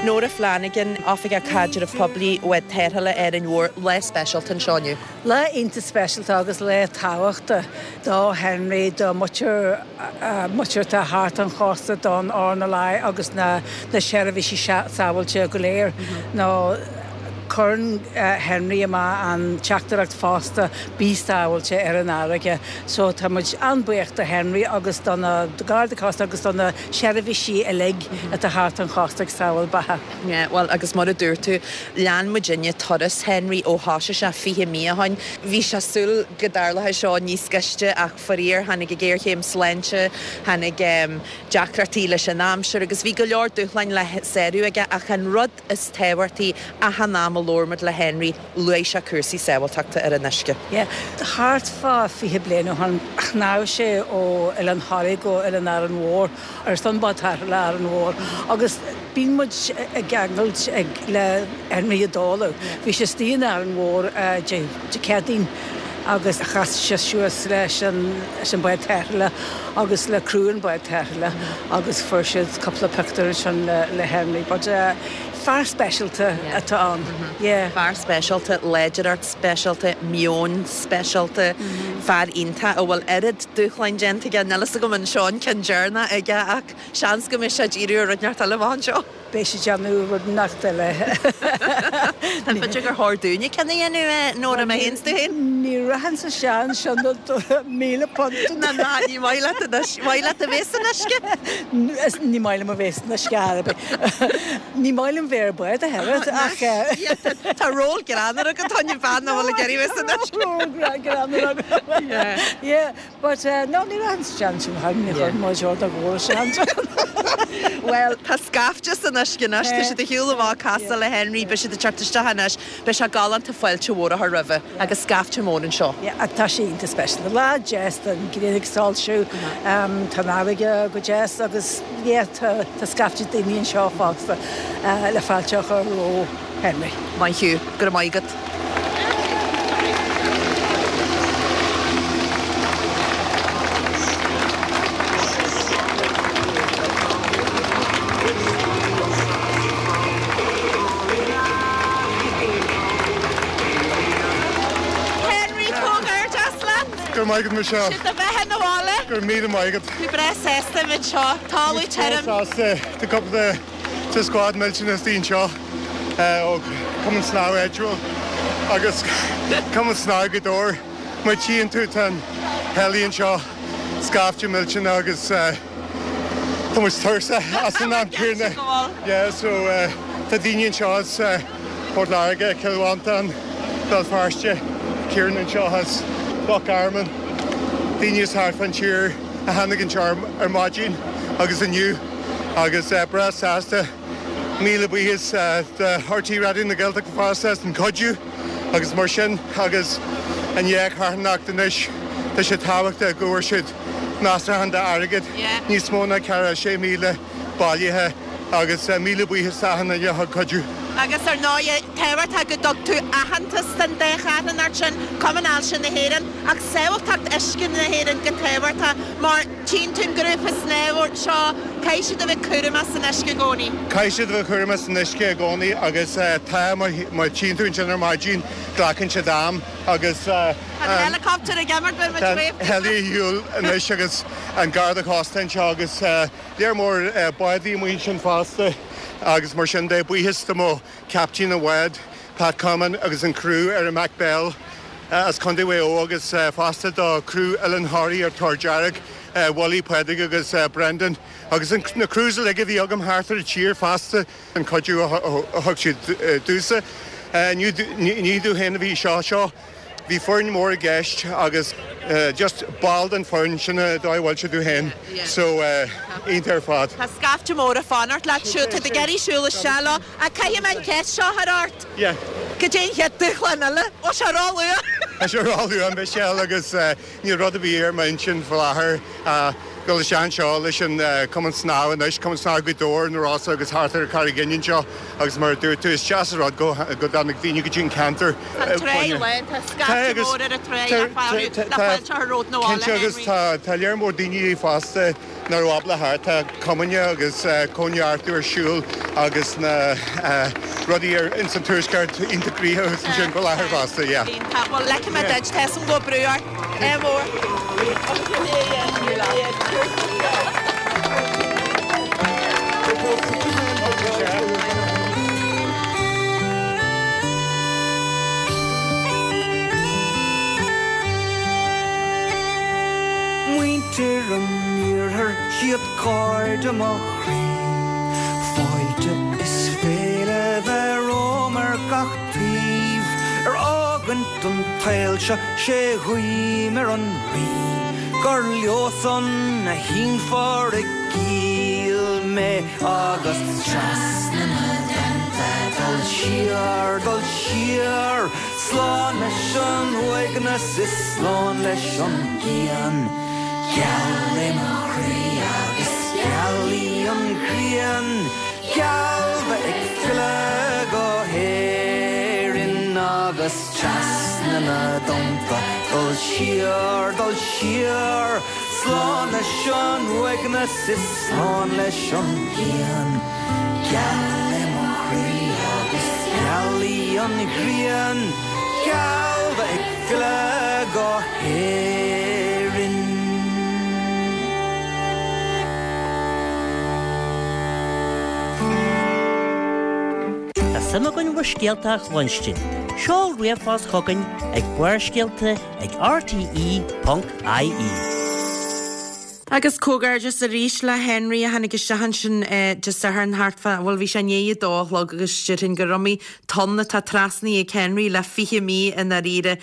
Nora Flanagan, Oifigeach Caidrimh Poiblí Bhád Tarrthála Árainn Mhór, lá speisialta anseo inniu. Lá iontach speisialta agus lá tábhachtach do Henry, do mhuintir muintir atá thart an chósta don RNLI agus na na seirbhísí sábháilte go léir. Nó Cuireann Henry amach an teachtaireacht fosta bí sábháilte ar an fharraige. So tá muid an-bhuíoch do Henry agus do na Garda Cósta agus do na seirbhísí uilig atá thart an chósta ag sábháil beatha. Yeah, well agus mar a dúirt tú lean muidinne turas Henry ó thosaigh sé fiche mí ó shin. Bhí sé súil go dtarlódh seo níos gaiste ach faraor tháinig an ghéarchéim sláinte, tháinig um, deacrachtaí leis an aimsir agus bhí go leor dúshláin le sárú aige ach an rud is tábhachtaí achan am a labhair muid le Henry luaigh sé cúrsaí sábháilteachta ar an uisce. Yeah, thart fá fiche bliain ó shin shnámh sé ó Oileán Thoraí go Oileán Árainn Mhór ar son bád tarrthála Árainn Mhór agus bíonn muid ag ceangailt ag le Henry i dtólamh. Bhí sé istigh in Árainn Mhór Dé Céadaoin agus chas sé suas leis an leis an bád tarrthála agus le criú an bád tarrthála agus fuair siad cúpla pictiúr ansin le le Henry. But uh, fear speisialta atá ann. Yeah. Fear speisialta, láidreacht speisialta, meon speisialta, fear iontach a bhfuil oiread dúshláin déanta aige níl a fhios agam an seo an ceann deireanach aige ach seans go mbeidh sé ag iarraidh rud inteacht eile amach anseo. Beidh sé déanamh rud inteacht eile. An b'fhéidir gur chóir dúinne ceann a dhéanamh Nóra mé féin 's tú féin? Ní rachainn sa seans sin míle punt. Na ná ní maith leat maith leat a bheith san uisce? Ní maith liom a bheith san uisce ar bith. Ní maith liom bheith ar bád a thuilleadh ach Tá ról greannmhar agat tá bean bhfuil ag iarraidh bheith san uisce. Ról greannmhar agam. Yeah, but uh, no ní rachainn sa seans sin ní chuir mo a gcóir seans. Well, tá scaifte san uisce anois, tá siad ag siúl amach casadh le Henry, beidh siad ag teacht isteach anois, beidh sé galánta fáilte mhór a chur roimhe agus scaifte mór anseo. Yeah, tá sé iontach speisialta. Lá deas an ghrian ag soilsiú tá an fharraige go deas agus yeah, tá tá scaifte daoine anseo fosta le fáilte a chur roimh Henry. Maith thú, go raibh maith agat. Henry comhghairdeas leat. Go raibh maith agat Michelle. Sin do bheatha 'na bhaile. Go raibh míle maith agat. Tú breá sásta muid seo talamh tirim. Sásta tá cúpla de squad millteanach istigh anseo ó Cumann Snámha áitiúil agus Cumann Snámha Ghaoth Dobhair. Má tchíonn tú tá an heli anseo scaifte millteanach agus tá muid tuirseach as an am céanna. Yeah, so tá daoine anseo as Port Láirge, Cill Mhantáin, Béal Feirste, Ciarán anseo as Loch Garman, daoine as thart fán tír a tháinig anseo ar maidin agus inniu agus breá sásta míle buíochas do R T É Raidió na Gaeltachta fosta as an cuidiú agus mar sin agus an dhá charthanacht anois tá sé tábhachtach go bhfuair siad measartha d'airgead níos mó ná ceathracha sé míle bailithe agus míle buíochas d'achan duine a thug cuidiú. Agus ar ndóigh tábhachtach go dtug tú aitheantas don dá charthanacht sin, Cumann Ailse na hÉireann ach sábháilteacht uisce na hÉireann go tábhachtach mar tchíonn tú an grúpa snámha seo caithfidh siad a bheith cúramach san uisce i gcónaí. Caithfidh siad a bheith cúramach san uisce i gcónaí agus tá má tchíonn tú ansin ar maidin glacann siad am agus Tá an helicopter ag imeacht beidh muid Tá heli ar shiúl anois agus an Garda Cósta anseo agus léar mór bádaí amuigh ansin fosta agus mar sin de buíochas do mo captain an bháid Pat Common agus an crew ar an Mac Bell as Contae Mhaigh Eo agus fosta do crew Oileán Thoraí ar Tor Dearg, Wally Pádraig agus Brendan agus na crews uilig a bhí agam thart ar an tír fosta an cuidiú a thug siad domhsa. Ní domh féin a bhí seo seo. Bhí foireann mór i gceist agus just ball den foireann sin a dóigh bhfuil siad féin so iontach ar fad. Tá scaifte mór ag fanacht leat siúd, tá tú ag iarraidh siúl isteach leo ach caithfidh mé an cheist seo a chur ort. Yeah. Cad é an chéad dúshlán eile? Ó sé róluath! Tá sé róluath Michelle agus níl rud ar bith ar m'intinn faoi láthair. Dul isteach anseo leis an Cumann Snámha anois, Cumann Snámha Ghaoth Dobhair, na Rosa agus thart ar Charraig Fhinn anseo agus mar a dúirt tú is deas an rud go go dtáinig daoine go dtí an ceantar. Tá an trá lán, tá scaifte mór ar an trá le fáil le fáilte a chur romhat 'na bhaile, Cinnte agus Henry. tá tá léar mór daoine fosta nach raibh ábalta theacht, tá cumainn agus cóineartú ar siúl agus na rudaí ar ins an tuaisceart iontach gnoitheach ansin faoi láthair fosta, yeah. Iontach, bhuel ligfidh mé duit, tá 'fhios a'm go bhfuil brú ort. Ádh mór. i mo chroí. Fáilte is féile bheith romham ar gach taobh, ar fhágaint an tsaoil seo sé guím ar an Rí, gur leosan a shínfear i gcill mé agus trasna na dtonnta dul siar, dul siar, slán leis an uaigneas is slán leis an gcian. Geal é mo chroí agus geal í an ghrian, geal bheith ag filleadh go hÉirinn agus trasna na dtonnta dul siar, dul siar, slán leis an uaigneas is slán leis an gcian. Geal é mo chroí agus geal í an ghrian, geal bheith ag filleadh go hÉirinn. Tá suim againn bhur scéalta a chluinstin. Seol ríomhphost chugainn ag Barrscéalta ag rte ponc ie. Agus comhghairdeas arís le Henry a tháinig isteach ansin Dé Sathairn thart fá, bhuel bhí sé i ndiaidh a dó a chlog agus déarfainn gur iomaí tonn atá trasnaithe ag Henry le fiche mí i ndáiríre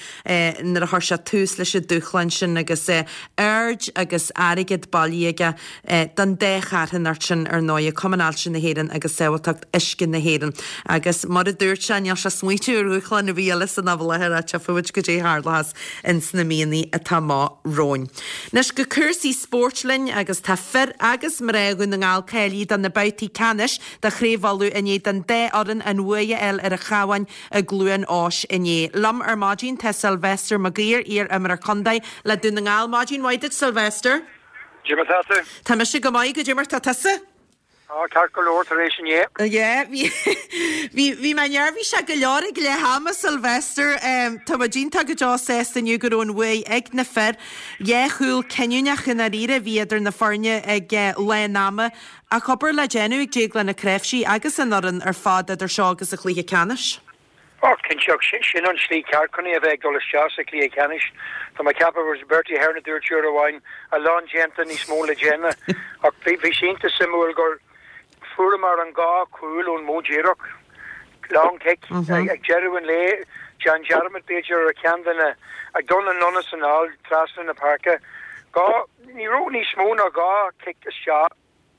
nuair a chuir sé tús leis an dúshlán sin agus aird agus airgead bailithe aige don dá charthanacht sin ar ndóigh, Cumann Ailse na hÉireann agus Sábháilteacht Uisce na hÉireann. Agus mar a dúirt sé, níl sé ag smaointiú ar dhúshlán ar bith eile san am i láthair ach tchífidh muid goidé a tharlóchas ins na míonna atá amach romhainn. Anois go cúrsaí spóirt linn agus tá fir agus mná Dhún na nGall cáilithe do na babhtaí ceannais de Chraobh Uladh i ndiaidh don dá fhoireann an bhuaidh a fháil ar an Chabhán i gCluain Eois inné. Liom ar maidin tá Sylvester Mag Uidhir, iar-imreoir contae le Dún na nGall. Maidin mhaith duit, Sylvester. Goidé mar tá tú? Tá mise go maith, goidé mar tá tusa? Á, ceart go leor tar éis inné. Yeah, bhí bhí bhí mé neirbhíseach go leor ag leath ama, Sylvester. Tá muid iontach go deo sásta inniu go raibh an bhuaidh ag na fir. Dhá chúl cinniúnach i ndáiríre a bhí idir na foirne ag lán ama. Ach obair le déanamh ag Déaglán Ó Cnáimhsí agus an fhoireann ar fad idir seo agus an chluiche ceannais. Ó, cinnte, sin an slí ceart chun é a bheith ag dul isteach sa chluiche ceannais. Tá mé ag ceapadh Bertie Ahern a dúirt uair amháin a lán déanta níos mó le déanamh. Ach bhí bhí sé iontach suimiúil gur fuaireamar an dhá chúl ón modh díreach, long kick, ag deireadh an lae, déan dearmad b'fhéidir ar cheann de na ag dul anonn is anall trasna na páirce. Dhá ní raibh níos mó ná dhá cic isteach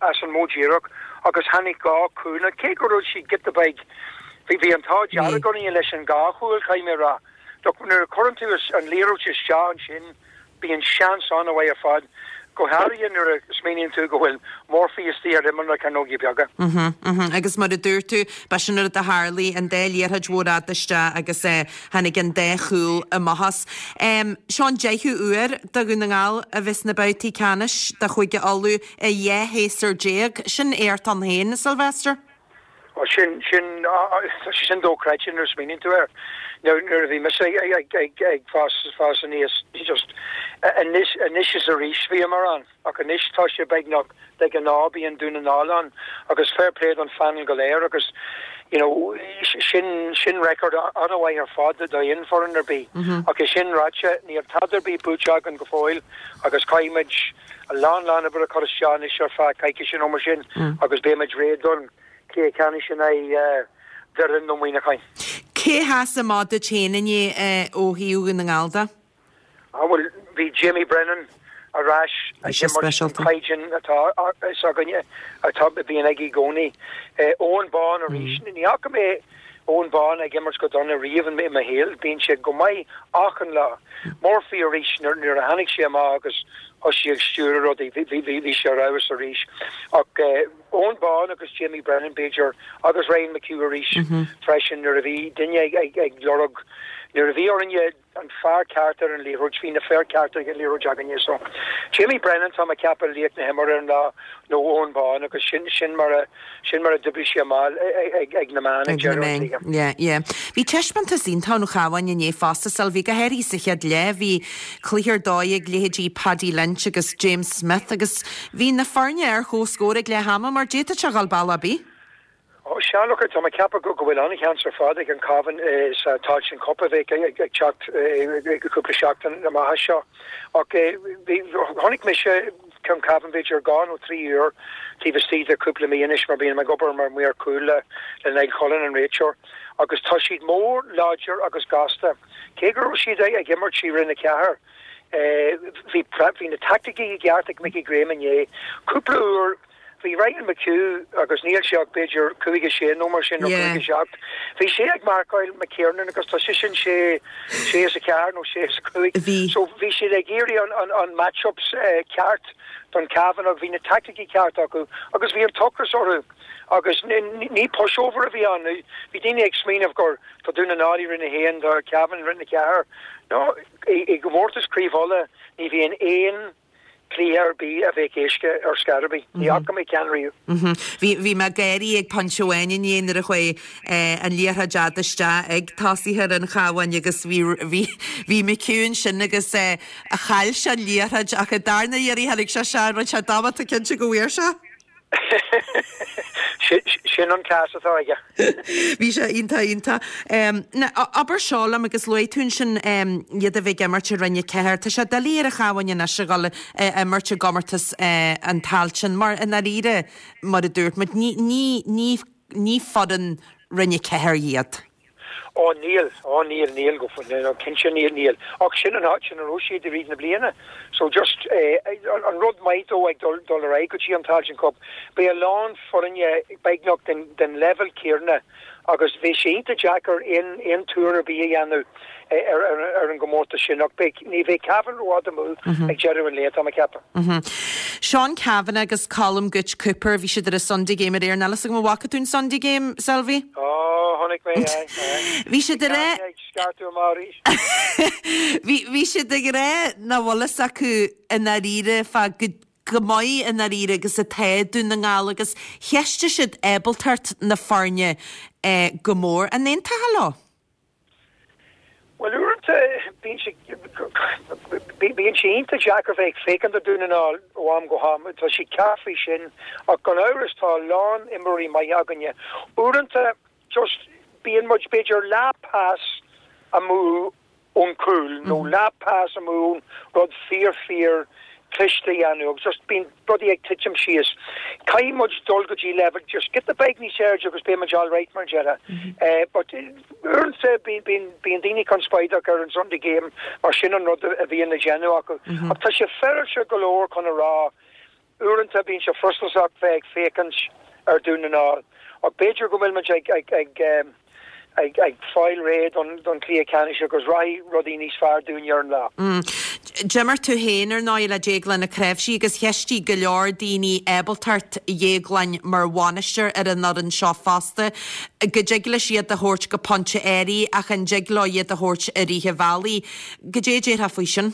as an modh díreach agus tháinig dhá chúl. Now cé go raibh siad giota beag, bhí bhí an t-ádh dearg orainn leis an dhá chúl, caithfidh mé a rá. Look, nuair a chuireann tú an liathróid isteach ansin, bíonn seans an-mhaith ar fad, go háirithe nuair a smaoiníonn tú go bhfuil Murphy istigh ar imeall na cearnóige beaga. Mhm, mhm. Agus mar a dúirt tú, ba sin an rud a tharlaigh, an dá liathróid mhór fhada isteach agus tháinig an dá chúl amach as. Seo an deichiú uair do Dhún na nGall a bheith sna babhtaí ceannais de Chúige Uladh i dhá shéasúr déag. Sin éacht ann féin, Sylvester. Ó, sin, sin, tá sé sin dochreidte nuair a smaoiníonn tú air. Nuair, nuair a bhí mise ag, ag, ag, ag fás, fás aníos, just, anois, anois is arís bhíomar ann, ach anois tá sé beagnach de ghnáth bíonn Dún na nGall ann agus fair play don phainéal go léir agus, you know, sin, sin record an-mhaith ar fad d'aon foireann ar bith. Ach é sin ráite, níl tada ar bith buaite againn go fóill agus caithfimid a lán, lán oibre a chur isteach anois ar feadh coicíse nó mar sin agus beimid réidh don chluiche ceannais in aghaidh Doire nó Muineacháin. Cé sheas amach duit féin inné ó thaobh Dhún na nGall de? Ah bhuel, bhí Jamie Brennan ar ais ag imirt an caighdeán atá fhios againne atá a bhíonn aige i gcónaí. Eoghan Bán arís. Ní fhaca mé Eoghan Bán ag imirt go dona riamh i mo shaol. Bíonn sé go maith achan lá. Murphy arís nuair a tháinig sé amach agus thosaigh ag stiúradh rudaí, bhí sé ar fheabhas arís. Ach Eoghan Bán agus Jamie Brennan b'fhéidir agus Ryan McHugh arís freisin nuair a bhí duine ag lorg, nuair a bhí orainne an fear ceart ar an liathróid, bhí na fir cearta ag an liathróid againne. So Jamie Brennan tá mé ag ceapadh laoch na himeartha ar an lá nó Eoghan Bán agus sin sin mar a sin mar a d'oibrigh sé amach ag ag na meáin ag deireadh an chluiche. Yeah, yeah. Bhí taispeántas iontach ón Chabhán inné fosta, Sylvie, go háirithe sa chéad leath. Bhí cluiche ar dóigh ag leithéidí Paddy Lynch agus James Smith agus bhí na foirne ar comhscór ag leath ama mar d'fhéadfadh sé dhul bealach ar bith. Ó sea, look, tá mé ag ceapadh go bhfuil an-sheans ar fad ag an Cabhán sa Tailteann Cup a bheidh ag teacht cúpla seachtain amach seo. Ach bhí, chonaic mise an Cabhán b'fhéidir dhá nó trí uair taobh istigh de cúpla mí anois mar bím ag obair mar maor cúil le le Niall Cullen an réiteoir agus tá siad mór láidir agus gasta. Cé go raibh siad ag imirt i Roinn a Ceathair bhí bhí na taicticí i gceart ag Mickey Graham inné. Cúpla uair bhí Ryan McHugh agus níl sé ach b'fhéidir cúig a sé nó mar sin nó cúig a seacht. Bhí sé ag marcáil McKiernan agus tá seisean sé sé is a ceathair nó sé is a cúig. So bhí siad ag iarraidh an, an, an matchups eh, ceart don Cavan agus bhí na taicticí ceart acu agus bhí an t-ocras orthu agus ní pushover a bhí ann. Bhí daoine ag smaoineamh gur tá Dún na nGall i Roinn a haon tá Cavan i Roinn a ceathair. No, i, i gcomórtas Craobh Uladh ní bhíonn aon cluiche ar bith a bheadh éasca ar scor ar bith. Ní fhaca mé ceann riamh. Bhí bhí mé ag gáirí ag pointe amháin inné nuair a chuaigh an liathróid fhada isteach ag tosaithe an Chabháin agus bhí bhí bhí McHugh ansin agus chaill sé an liathróid ach an darna iarraidh tháinig sé sé rinne sé dámata cinnte go bhfuair sé. Sin an cleas atá aige. Bhí sé iontach iontach. Abair seo liom agus luaigh tú ansin iad a bheith ag imirt i Roinn a Ceathair. Tá sé doiligh ar an Chabhán anois a dhul ag imirt i gcomórtas an Tailteann mar i ndáiríre mar a dúirt muid ní ní ní ní foireann Roinn a Ceathair iad. Ó níl, ó níl, níl go no, cinnte níl, níl. Ach sin an áit ina raibh siad i rith na bliana. So just eh, an rud maith dó ag dul dul ar aghaidh go dtí an Tailteann Cup, beidh a lán foirne beagnach den, den level céanna agus bhí sé iontach deacair aon aon tuar ar bith a dhéanamh ar, ar, ar an gcomórtas sin ach beidh ní bheidh Cavan rófhada amú ag deireadh an lae tá mé ag ceapadh. Seán Cavanagh agus Colm Gooch Cooper bhí siad ar an Sunday Game aréir níl a fhios agam an bhfaca tú an Sunday Game, Selvie? Ó chonaic mé é. Bhí siad ag rá scartú amárís. Bhí bhí siad ag rá nach bhfuil fhios acu i ndáiríre fá go go maith i ndáiríre agus atá Dún na nGall agus cheistigh siad ábaltacht na foirne eh, go mór an aontófá leo. Well uaireanta bíonn sé bíonn sé iontach deacair bheith ag féachaint ar Dún na nGall ó am go ham tá sé ceart faoi sin ach gan amhras tá lán imreoirí maithe againne. Uaireanta just bíonn muid b'fhéidir leath pas amú ón cúl nó leath pas amú rud fíor fíor cliste a dhéanamh agus just bíonn rudaí ag titim síos. Caithfidh muid dul go dtí level just giota beag níos airde agus beidh muid all right mar deireadh. Eh, but uaireanta bíonn bíonn bíonn daoine conspóideach ar an Sunday game mar sin an rud a bhíonn le déanamh acu. Ach tá sé féaráilte go leor chun a rá uaireanta bíonn sé frustrasach bheith ag féachaint ar Dún na nGall. Ach b'fhéidir go bhfuil muid ag ag ag um, ag ag fáil réidh don don chluiche ceannais agus raghaidh rudaí níos fearr dúinn ar an lá. Mm. D'imir tú féin ar ndóigh le Déaglán Ó Cnáimhsí agus cheistigh go leor daoine ábaltacht Dhéagláin mar bhainisteoir ar an fhoireann seo fosta, go dtig leis iad a thabhairt go pointe áirithe ach an dtig leo iad a thabhairt i rith an bhealaigh. Goidé a déarfá faoi sin?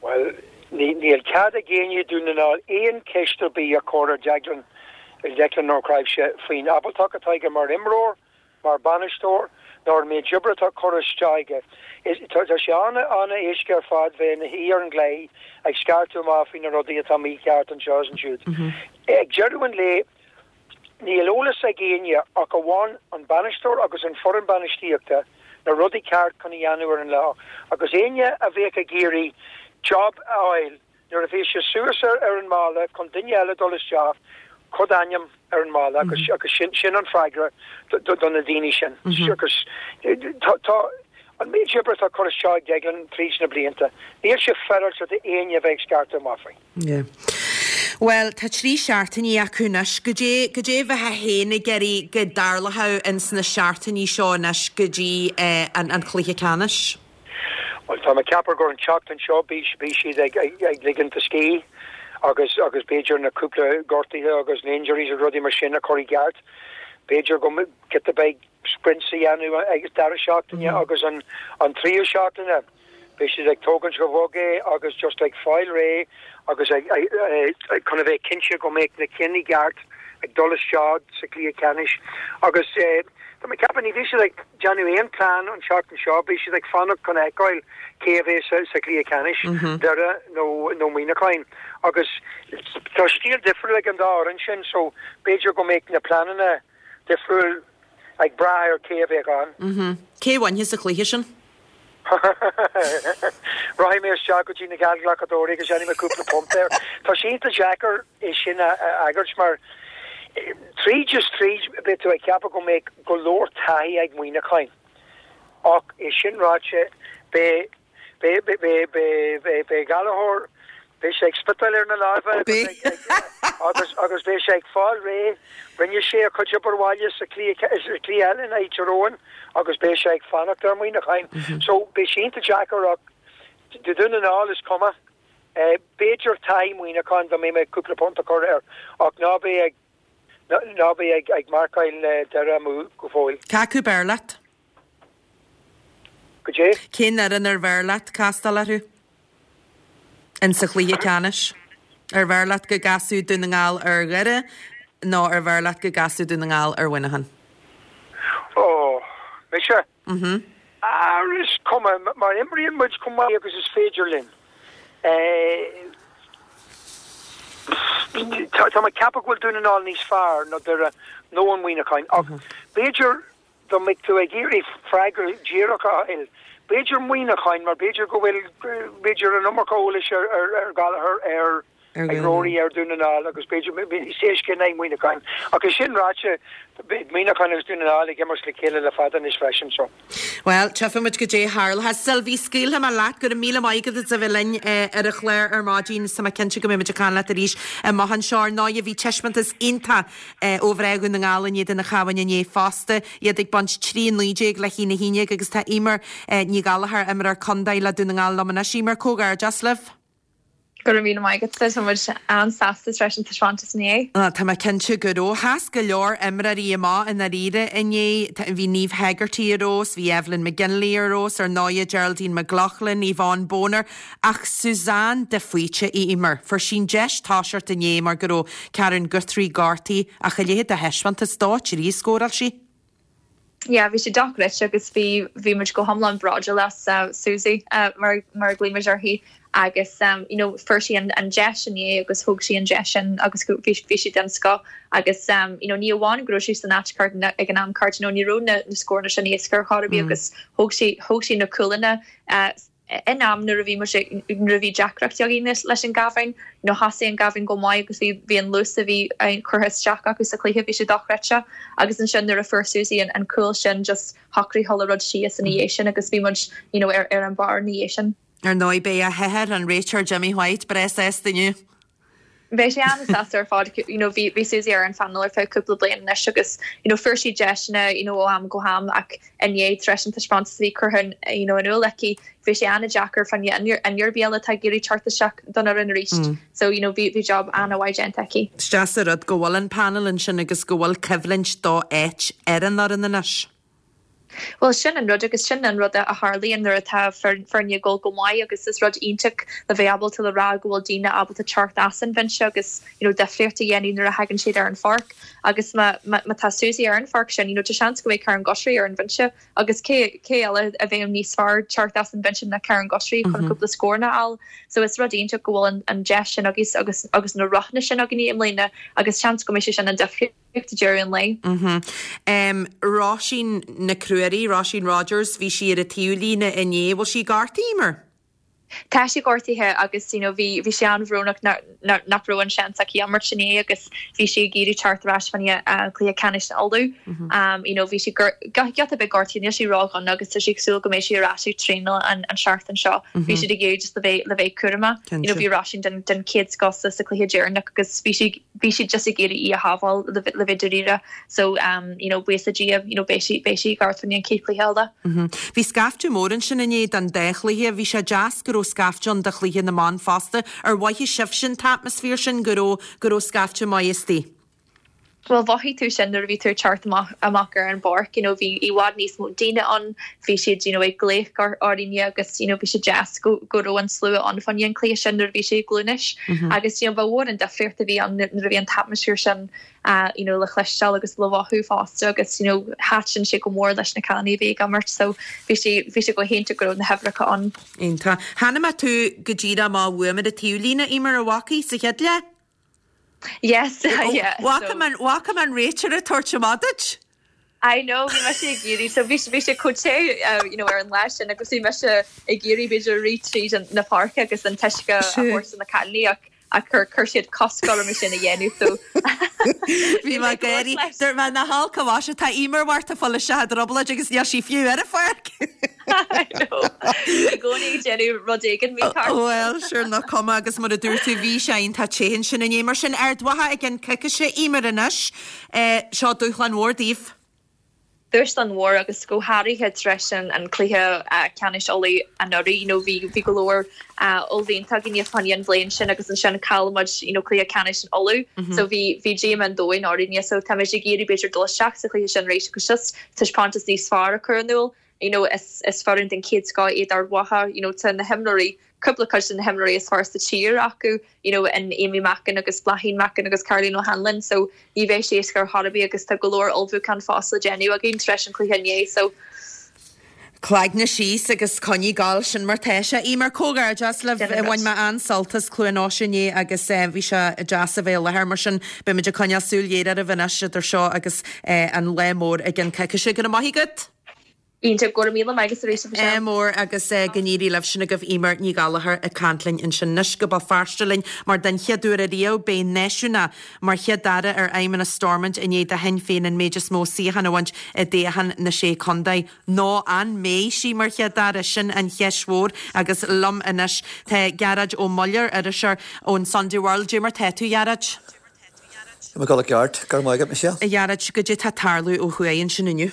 Well, ní níl cead ag éinne Dún na nGall aon cheist ar bith a chur ar Declan Declan Ó Cnáimhsí faoin ábaltacht atá aige mar imreoir, mar bainisteoir, nó an méid oibre atá curtha isteach aige. Tá sé an an-éasca ar fad bheith ina shuí ar an gclaí ag scartú amach faoi na rudaí atá mícheart anseo is ansiúd. Ag deireadh an lae níl eolas ag éinne ach amháin an bainisteoir agus an foireann bainistíochta na rudaí ceart chun a dhéanamh ar an lá. Agus éinne a bheadh ag iarraidh job a fháil nuair a bhí sé suas ar ar an mballa chun duine eile dul isteach cuir d'ainm ar an mballa agus agus sin sin an freagra do na daoine sin. Agus tá tá an méid oibre atá curtha isteach ag Declan tríd na blianta. Níl sé féaráilte d'éinne bheith ag scartadh amach faoi. Yeah. Well, tá trí seachtainí acu anois, goidé goidé a bheifeá féin ag iarraidh go dtarlódh ins na seachtainí seo anois go dtí eh, an, an chluiche ceannais. Well tá mé ag ceapadh gur an tseachtain seo bhí bhí siad ag ag, ag ligint a scíth agus agus b'fhéidir na cúpla gortuithe agus na injuries agus rudaí mar sin a chur i gceart. B'fhéidir go giota beag sprints a dhéanamh ag deireadh seachtaine agus an an tríú seachtaine. Beidh siad ag tógaint go bog é agus just ag fáil réidh agus ag ag chun a bheith cinnte go mbeidh na cinn i gceart ag dul isteach sa chluiche ceannais agus eh, Tá mé ag ceapadh ní bheidh siad ag déanamh aon plean an seachtain seo, beidh siad ag fanacht chun feiceáil cé a bheidh sa, sa chluiche ceannais Doire nó nó Muineachán agus tá stíl difriúil ag an dá fhoireann sin so b'fhéidir go mbeidh na pleananna difriúil ag brath ar cé a bheidh ann. Mm -hmm. Cé bhainfidh sa chluiche sin? Rachaidh mé isteach go dtí na geallghlacadóirí agus déanfaidh mé cúpla punt air. Tá sé iontach deacair é sin a fhreagairt mar tríd is tríd beidh tú ag ceapadh go mbeidh go leor taithí ag Muineachán. Ach é sin ráite beidh beidh beidh beidh beidh beidh beidh Gallchóir beidh sé ag spiotáil ar na lámha agus agus beidh sé ag fáil réidh. Rinne sé a chuid obair bhaile sa chluiche eile in aghaidh Tír Eoghain agus beidh sé ag fanacht ar Mhuineachán. So beidh sé iontach deacair ach do Dhún na nGall is cuma. B'fhéidir taithí Mhuineacháin dá mbeidh mé cúpla punt a chur air ach ná bí ag ná bí ag ag marcáil Doire amú go fóill. Cé acu b'fhearr leat? Goidé? Cén fhoireann ar bhfearr leat castáil orthu? In sa chluiche ceannais? Ar bhfearr leat go gcasfadh Dún na nGall ar Dhoire nó ar bhfearr leat go gcasfadh Dún na nGall ar Mhuineachán? Ó, mise? Mhm. Ar is cuma, mar imríonn muid chomh maith agus is féidir linn. Tá mé ag ceapadh go bhfuil Dún na nGall níos fearr ná Doire nó an Muineachán ach b'fhéidir dá mbeadh tú ag iarraidh freagra díreach a fháil, b'fhéidir Muineachán mar b'fhéidir go bhfuil, b'fhéidir an iomarca eolais ar, ar, ar Gallagher, ar, ag Rory ar Dún na nGall agus b'fhéidir níos éasca in aghaidh Muineacháin. Ach é sin ráite, beidh Muineachán agus Dún na nGall ag imirt le chéile le fada anois freisin so. Bhuel, tchífidh muid goidé a tharlóchas. Sylvie, scaoilfidh mé leat. Go raibh míle maith agat as a bheith linn ar an chlár ar maidin. Tá mé cinnte go mbeidh muid ag caint leat arís amach anseo. Ar ndóigh, bhí taispeántas iontach ó mhná Dhún na nGall in éadan an Chabháin inné fosta, iad ag baint trí a naoi déag le haon a haon déag agus tá Eimear Ní Ghallchóir, imreoir contae le Dún na nGall liom anois. Eimear, comhghairdeas libh. Go raibh míle maith agat, tá muid an-sásta tar éis an taispeántas inné. Tá mé cinnte go raibh. Sheas go leor imreoirí amach i ndáiríre inné. Bhí Niamh Hegarty ar fheabhas, bhí Evelyn McGinley ar fheabhas, ar ndóighe Geraldine McLaughlin, Yvonne Boner, ach Suzanne de Faoite, Eimear. Fuair sí an deis toiseacht inné mar go raibh Karen Guthrie gortaithe ach a leithéid de thaispeántas, dó trí a scóráil sí. Yeah, bhí sé dochreidte agus bhí bhí muid go hiomlán bródúil as uh, Susie uh, mar mar a ghlaoimid uirthi agus um, you know, fuair sí an, an deis inné agus thóg sí an deis sin agus bhí bhí sí den scoth agus um, you know, ní amháin go raibh sí san áit cheart ag an am ceart you know, ní raibh na, na scóranna sin éasca ar chor ar bith mm. agus thóg sí thóg sí na cúlanna uh, in am nuair a bhí nuair a bhí deacrachtaí againn leis an gCabhán nó thosaigh an Cabhán go maith agus bhí bhí an luas a bhí curtha isteach acu sa chluiche bhí sé dochreidte agus ansin nuair a fuair Susie an, an cúl sin just shocraigh chuile rud síos ina dhiaidh sin agus bhí muid you know, ar, ar an barr ina dhiaidh sin. Ar ndóigh beidh a hathair an réiteoir Jimmy White breá sásta inniu. Bheidh sé an-sásta ar fad you know, bhí bhí Susie ar an phanel ar feadh cúpla bliain anois agus you know, fuair sí deiseanna you know, ó am go ham ach inné tar éis an taispeántas a bhí curtha you know, in iúl aici bhí sé an-deacair fá choinne duine ar bith eile atá ag iarraidh teacht isteach don fhoireann arís. Mm. So you know, bhí bhí job an-mhaith déanta aici. Is deas an rud go bhfuil an panel ansin agus go bhfuil coimhlint do áit ar an fhoireann anois. Well sin an rud agus sin an rud a tharlaíonn nuair atá foirne ag dul go maith agus is rud iontach le bheith ábalta le rá go bhfuil daoine ábalta teacht as an bhinse agus you know, difríocht a dhéanamh nuair a thagann siad ar an pháirc agus má má tá Susie ar an pháirc sin you know, tá seans go mbeidh Karen Guthrie ar an bhinse agus cé cé eile a bheadh níos fearr teacht as an bhinse ná Karen Guthrie chun mm -hmm. cúpla scóranna a fháil so is rud iontach go bhfuil an, an deis sin agus agus agus na roghanna sin againn i mbliana agus seans go mbeidh sé sin an difríocht ag deireadh an lae. Mm -hmm. um, Róisín Nic Ruairí, Róisín Rogers, bhí sí ar an taobhlíne inné, bhfuil sí gortaithe mar? Tá sí gortaithe agus you know, bhí bhí sé an-bhrónach nach raibh an seans aici imirt inné agus bhí sí ag iarraidh teacht ar ais fá choinne uh, cluiche ceannais Uladh. Mm -hmm. um, you know, bhí sí giota beag gortaithe níl sí ródhona agus tá sí ag súil go mbeidh sí ar ais ag traenáil an, an seachtain seo. Mm -hmm. Bhí siad ag iarraidh just le bheith le bheith cúramach. You know, bhí Róisín den, den chéad scoth sa chluiche deireanach agus bhí sí bhí siad just ag iarraidh í a shábháil le le bheith dáiríre so um, you know, buíochas le Dia you know, beidh sí beidh sí ceart an chéad chluiche eile. Mm -hmm. Bhí scaifte mór ansin inné don dá chluiche, bhí sé deas go raibh scaifte ann do chluiche na mban fosta, ar mhothaigh sibh an t-atmaisféar sin go raibh go raibh scaifte maith istigh. Well mhothaigh tú sin nuair a bhí tú teacht amach amach ar an bpáirc you know, bhí i bhfad níos mó daoine ann bhí siad you know, ag glaoch ar orainne agus you know, bhí sé deas go go raibh an slua ann fá choinne an chluiche sin nuair a bhí sé i gCluain Eois mm -hmm. agus you know, ba mhór an difríocht a bhí ann nuair a bhí an t-atmaisféar sin uh, you know, le chloisteáil agus le mothú fosta agus you know, thaitin sé go mór leis na cailíní a bhí ag imirt so bhí sé bhí sé go hiontach go raibh na huimhreacha ann. Iontach. Chonaic mé tú go díreach má bhuaim ar an taobhlíne Eimear a bhacaí sa chéad leath? Yes, yeah. Bhfaca an réiteoir ag tabhairt amach duit? I know bhí mise ag iarraidh so bhí bhí sé chomh te you know ar an lá sin agus bhí mise ag iarraidh b'fhéidir rith tríd na páirce agus an t-uisce a thabhairt do na cailíní ach ach chuir chuir siad cosc orm é sin a dhéanamh so Bhí mé ag gáirí dúirt mé nach olc a mhaise tá Eimear Mhart ag fáil isteach i dtrioblóid agus níl sí fiú ar an pháirc. I know i gcónaí ag déanamh rud éigin mícheart. Well sure nach cuma agus mar a dúirt tú bhí sé iontach te ansin inné mar sin Ard Mhacha i gceann coicíse Eimear anois seo dúshlán mhór daoibh. Dúshlán mhór agus go háirithe tar éis an an cluiche ceannais Uladh anuraidh you know bhí bhí go leor ullmhaíonta againne fá choinne an bhliain sin agus ansin chaill muid you know cluiche ceannais in Uladh so bhí bhí díomá an domhain orainne so táimid ag iarraidh b'fhéidir dul isteach sa chluiche sin arís agus just taispeántas níos fearr a chur in iúl you know is is foireann den chéad scoth iad Ard Mhacha you know tá na himreoirí cúpla cuid de na himreoirí is fearr sa tír acu you know in Amy Mackin agus Bláithín Mackin agus Caroline O'Hanlon so ní bheidh sé éasca ar chor ar bith agus tá go leor ullmhúchán fós le déanamh againn tar éis an cluiche inné so Cloigne síos agus coinnigh ag gabháil sin mar tá sé. Eimear comhghairdeas libh bhain mé an-sult as Cluain Eois inné agus bhí sé deas a bheith i láthair mar sin beimid ag coinneáil súil ghéar oraibh anois idir seo agus an lá mór i gceann coicíse. Go raibh maith agat! Iontach go raibh míle maith agat arís a Mhichelle. Ádh mór agus go n-éirí libh sin agaibh Eimear Ní Ghallchóir ag caint linn ansin anois go Béal Feirste linn mar den chéad uair ariamh beidh náisiúnach mar chéad aire ar fheidhmeannas Stormont i ndiaidh do Shinn Féin an méid is mó suíochán a bhaint i dtoghchán na Sé Contae. Nó an mbeidh sí mar chéad aire? Sin an cheist mhór agus liom anois tá Gearóid Ó Muilleoir, iriseoir ón Sunday World. Dé mar tá tú, a Ghearóid? Tá mé ag dul i gceart, go raibh maith agat Michelle. A Ghearóid, goidé tá ag tarlú ó thuaidh ansin inniu?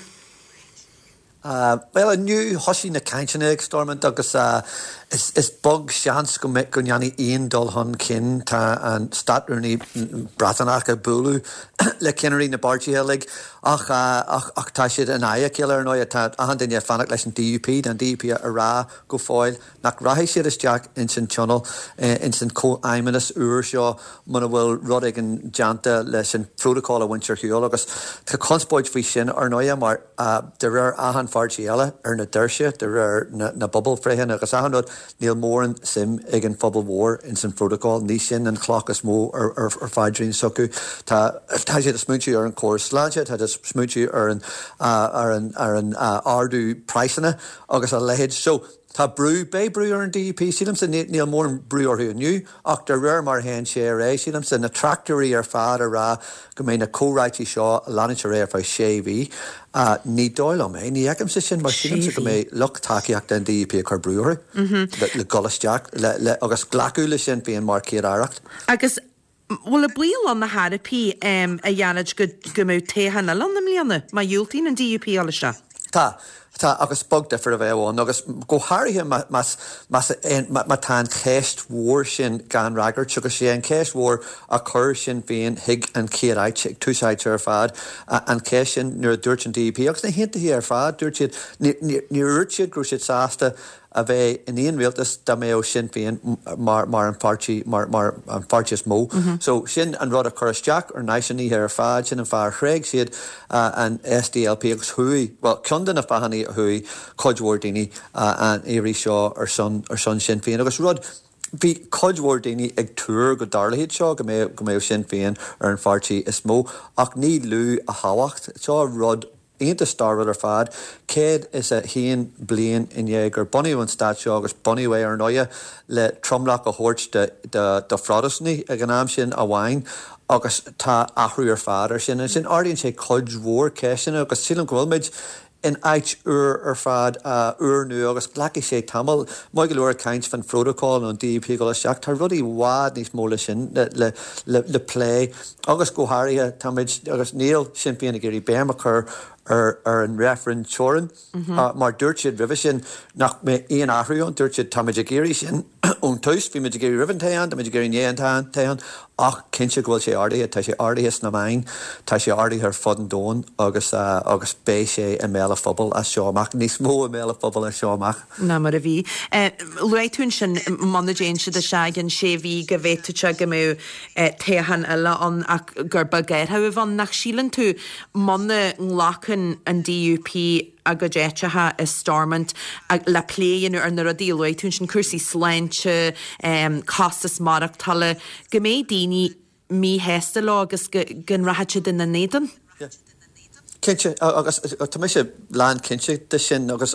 Bhuel, inniu thosaigh na cainteanna ag Stormont agus is beag seans go mbeidh go ndéanfaidh aon dul chun cinn. Tá an Státrúnaí Breataineach ag bualadh le ceannairí na bpáirtithe uilig ach ach tá siad in aghaidh a chéile ar ndóigh. Tá achan duine ag fanacht leis an DUP, tá an DUP a rá go fóill nach rachaidh siad isteach ins an tionól, ins an comhfheidhmeannas úr seo muna bhfuil rud éigin déanta leis an phrótacal a bhaint ar shiúl agus tá conspóid faoi sin ar ndóigh mar de réir achan pháirtí eile ar na doirse, de réir na bpobalbhreitheanna agus achan rud, níl mórán suim ag an phobal mhór ins an phrótacal. Ní sin an chloch is mó ar ar phaidrín s'acu. Tá tá siad ag smaointiú ar an chóras sláinte, tá siad ag smaointiú ar an ar an ar an ardú praghsanna agus a leithéid. So tá brú, beidh brú ar an DUP, sílimse, níl mórán brú orthu inniu ach de réir mar a théann sé ar aghaidh, sílimse, na tráchtairí ar fad a rá go mbeidh na comhráití seo ag leanúint ar aghaidh ar feadh sé mhí. Ní dóigh liom é, ní fheicimse sin mar sílimse go mbeidh lucht tacaíochta an DUP ag cur brú orthu le dul isteach le agus glacadh le Sinn Féin mar Chéad-Aireacht. Agus bhfuil an baol ann ar chor ar bith a Ghearóid go go mbeidh toghchán eile ann i mbliana má dhiúltaíonn an DUP dul isteach? Tá. Tá, agus beag difear a bheadh ann, agus go háirithe más más má tá an cheist mhór sin gan fhreagairt, agus sé an cheist mhór a chuir Sinn Féin chuig an chéad áit, ag tús áite ar fad, an cheist sin nuair a dúirt an DUP agus na hAontaithe ar fad, dúirt siad, níor dhúirt siad go raibh siad sásta a bheith in aon rialtas dá mbeadh Sinn Féin mar mar an pháirtí mar mar an pháirtí is mó. So sin an rud a chuir isteach ar náisiúnaithe ar fad, sin an fáth ar thréig siad an SDLP agus chuaigh, bhuel ceann de na fáthanna a chuaigh cuid mhór daoine an iarraidh seo ar son ar son Sinn Féin agus rud bhí cuid mhór daoine ag tuar go dtarlódh seo go mbeadh go mbeadh Sinn Féin ar an pháirtí is mó ach ní lú a thábhacht. Seo rud iontach stairiúil ar fad, céad is a haon bliain i ndiaidh gur bunaíodh an stát seo agus bunaíodh é ar ndóighe le tromlach a thabhairt do Phrotastúnaigh ag an am sin amháin agus tá athrú ar fad ar sin. Ansin ardaíonn sé cuid mhór ceisteanna agus sílim go bhfuil muid in áit úr ar fad, úrnua agus glacfaidh sé tamall. Maith go leor ag caint fán phrótacal nó an DUP ag dul isteach, tá rudaí i bhfad níos mó le sin le le plé agus go háirithe táimid agus níl Sinn Féin ag iarraidh béim a chur ar ar an reifreann teorann mar dúirt siad roimhe sin nach mbeadh aon athrú ann, dúirt siad táimid ag iarraidh sin ón tús, bhí muid ag iarraidh roimh an toghchán, táimid ag iarraidh i ndiaidh an toghcháin ach cinnte go bhfuil sé ardaithe, tá sé ardaithe sna meáin, tá sé ardaithe ar fud an domhain agus agus beidh sé i mbéal an phobail as seo amach, níos mó i mbéal an phobail as seo amach. ná mar a bhí. Luaigh tú ansin muna dtéann siad isteach i gceann sé mhí go bhféadfadh sé go mbeadh toghchán eile ann ach gur beag athrú a bheadh ann. Nach síleann tú muna nglacann an DUP a gcuid áiteacha i Stormont le plé a dhéanamh ar na rudaí a luaigh tú ansin, cúrsaí sláinte, costas maireachtála, go mbeidh daoine míshásta leo agus go go rachaidh siad ina n-éadan? Cinnte, agus tá mise lán cinnte de sin agus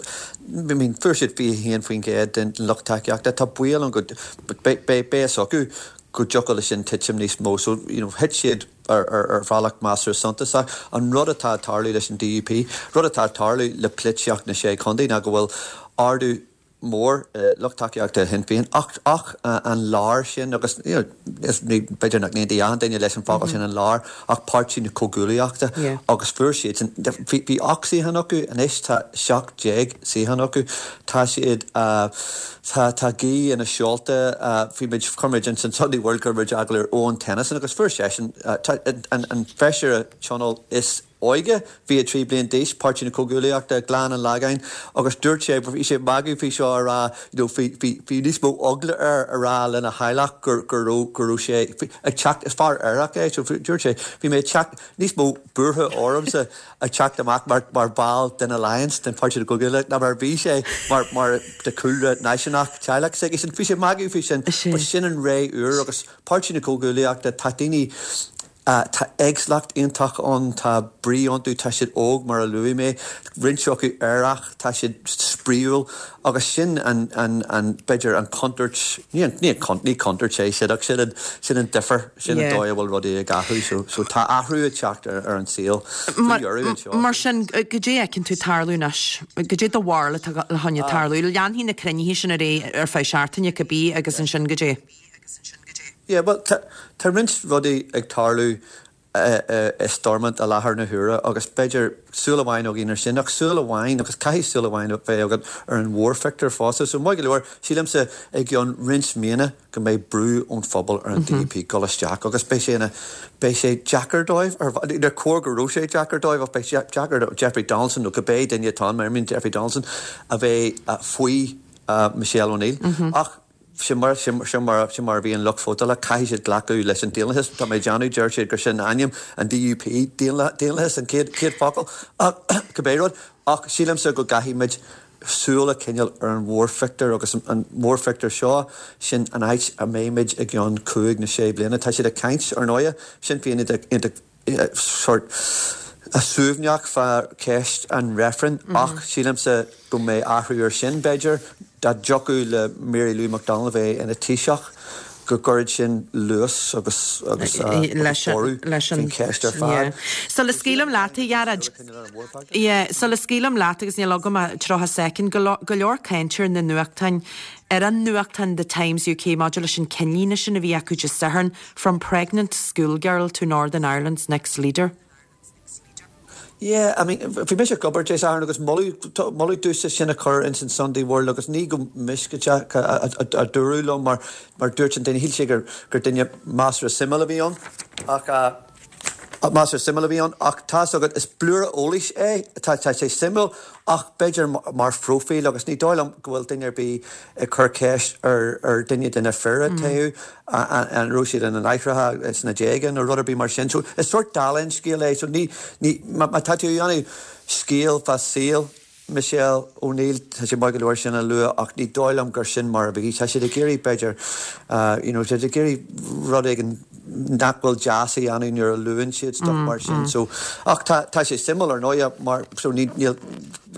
I mean, fuair siad fiche haon faoin gcéad den lucht tacaíochta. Tá baol ann go beidh a fhios acu go dtiocfadh leis sin titim níos mó. So, you know, thit siad ar, ar, ar bhealach measartha suntasach. An rud atá ag tarlú leis an D U P, rud atá ag tarlú le polaitíocht na Sé Chontae ná go bhfuil ardú mór lucht tacaíochta Shinn Féin ach ach an lár sin agus you know, is ní b'fhéidir nach n-aontaíonn achan duine leis an focal sin an lár ach Páirtí na Comhghuaillíochta agus fuair siad sin bhí bhí ocht suíochán acu, anois tá seacht déag suíochán acu. Tá siad tá tá gaoth ina seolta. Bhí muid chuir muid in san Sunday World chuir muid agallamh ar Eoin Tennyson agus fuair seisean an an feisire tionóil is óige, fiche trí bliain d'aois, Páirtí na Comhghuaillíochta, Gleann an Lagáin, agus dúirt sé, bhí sé ag magadh faoi seo a rá you know, bhí bhí bhí níos mó eagla air a rá lena theaghlach gur gur raibh go raibh sé ag teacht. Is fear aerach é, so dúirt sé bhí mé ag teacht níos mó buartha ormsa ag teacht amach mar mar ball den Alliance, den Páirtí na Comhghuaillíochta, ná mar bhí sé mar mar de chúlra náisiúnach teaghlach s'aige sin. Bhí sé ag magadh faoi sin, but sin an ré úr agus Páirtí na Comhghuaillíochta, tá daoine tá éagsúlacht iontach ann, tá brí iontu, tá siad óg mar a luaigh mé, roinnt acu aerach, tá siad spraíúil agus sin an an an b'fhéidir an contúirt, ní an ní an ní contúirt é sin ach sin an sin an difear, sin an dóigh a bhfuil rudaí ag athrú so so tá athrú ag teacht ar ar an saol faoi dheireadh anseo. Mar sin goidé a fheiceann tú tarlú anois, goidé do bharúil atá le choinne tarlú, leanfaidh na cruinnithe sin ar aghaidh ar feadh seachtaine cibé agus ansin goidé. Yeah, well, tá tá roinnt rudaí ag tarlú i Stormont i láthair na huaire agus b'fhéidir súil amháin againn ar sin ach súil amháin agus caithfidh súil amháin bheith agat ar an mhórphictiúr fosta. So maith go leor, sílimse i gceann roinnt míonna go mbeidh brú ón phobal ar an D U P dul isteach agus beidh sé ina beidh sé deacair dóibh ar ar chóir go raibh sé deacair dóibh ach beidh sé deacair do Jeffrey Donaldson nó cibé duine atá ann, mar I mean Jeffrey Donaldson a bheith faoi Michelle O'Neill ach sin mar sin mar sin mar a bhí an lucht vótála, caithfidh siad glacadh leis an daonlathas. Tá mé ag déanamh, deir siad gur sin ainm an D U P, daonlathas an chéad chéad focal ach cibé rud ach sílimse go gcaithfidh muid súil a choinneáil ar an mhórphictiúr agus an mórphictiúr seo sin an áit a mbeimid i gceann cúig nó sé bliana. Tá siad ag caint ar ndóigh, Sinn Féin iontach sort suaimhneach fá cheist an reifrinn ach sílimse go mbeidh athrú ar sin b'fhéidir dá dtiocfadh le Mary Lou McDonald bheith ina Taoiseach go gcuirfeadh sin luas agus agus borradh faoin cheist ar fad. Sula scaoilim leat a Ghearóid. Yeah, sula scaoilim leat agus níl agam ach tríocha soicind, go go leor cainte ar na nuachtáin ar an nuachtán The Times U K maidir leis an ceannlíne sin a bhí acu Dé Sathairn, "From pregnant schoolgirl to Northern Ireland's next leader." Yeah, I mean, bhí mise ag obair Dé Sathairn agus moladh moladh domhsa sin a chur ins an Sunday World agus ní go mísceach a dúradh liom mar mar dúirt an duine shíl sé gur gur duine measartha suimiúil a bhí ann ach measartha suimiúil a bhí ann ach tá agat is blúire eolais é tá tá sé suimiúil ach b'fhéidir mar phróifíl agus ní dóigh liom go bhfuil duine ar bith ag cur ceist ar ar duine de na fir a toghadh an raibh siad ina n-aithreacha sna déaga nó rud ar bith mar sin. So is sort dála an scéil é so ní ní má tá tú ag déanamh scéal fá saol Michelle O'Neill, tá sé maith go leor sin a lua ach ní dóigh liom gur sin mar a bhí. Tá siad ag iarraidh b'fhéidir you know, siad ag iarraidh rud éigin nach bhfuil deas a dhéanamh nuair a luann siad stuff mar sin. So ach tá tá sé suimiúil ar ndóigh mar so ní níl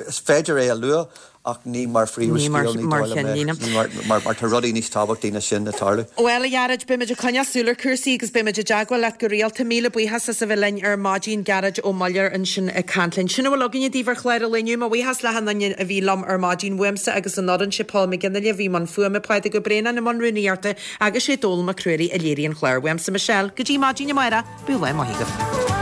is féidir é a lua ach ní mar phríomhscéal ní mar dóigh liom é. cheannlíne. Mar mar mar tá rudaí níos tábhachtaí ná sin ag tarlú. Well a Ghearóid, beimid ag coinneáil súil ar chúrsaí agus beimid i dteagmháil leat go rialta. Míle buíochas as a bheith linn ar maidin, Gearóid Ó Muilleoir ansin ag caint linn. Sin a bhfuil againne daoibh ar chlár an lae inniu. Mo bhuíochas le haon duine a bhí liom ar maidin uaimse agus an fhoireann sé Paul McGinley a bhí i mbun fuaime, Pádraig Ó Braonáin i mbun rúnaíochta agus sé Dónal Mac Ruairí a léirigh an clár. Uaimse Michelle, go dtí maidin amárach, bíodh lá maith agaibh.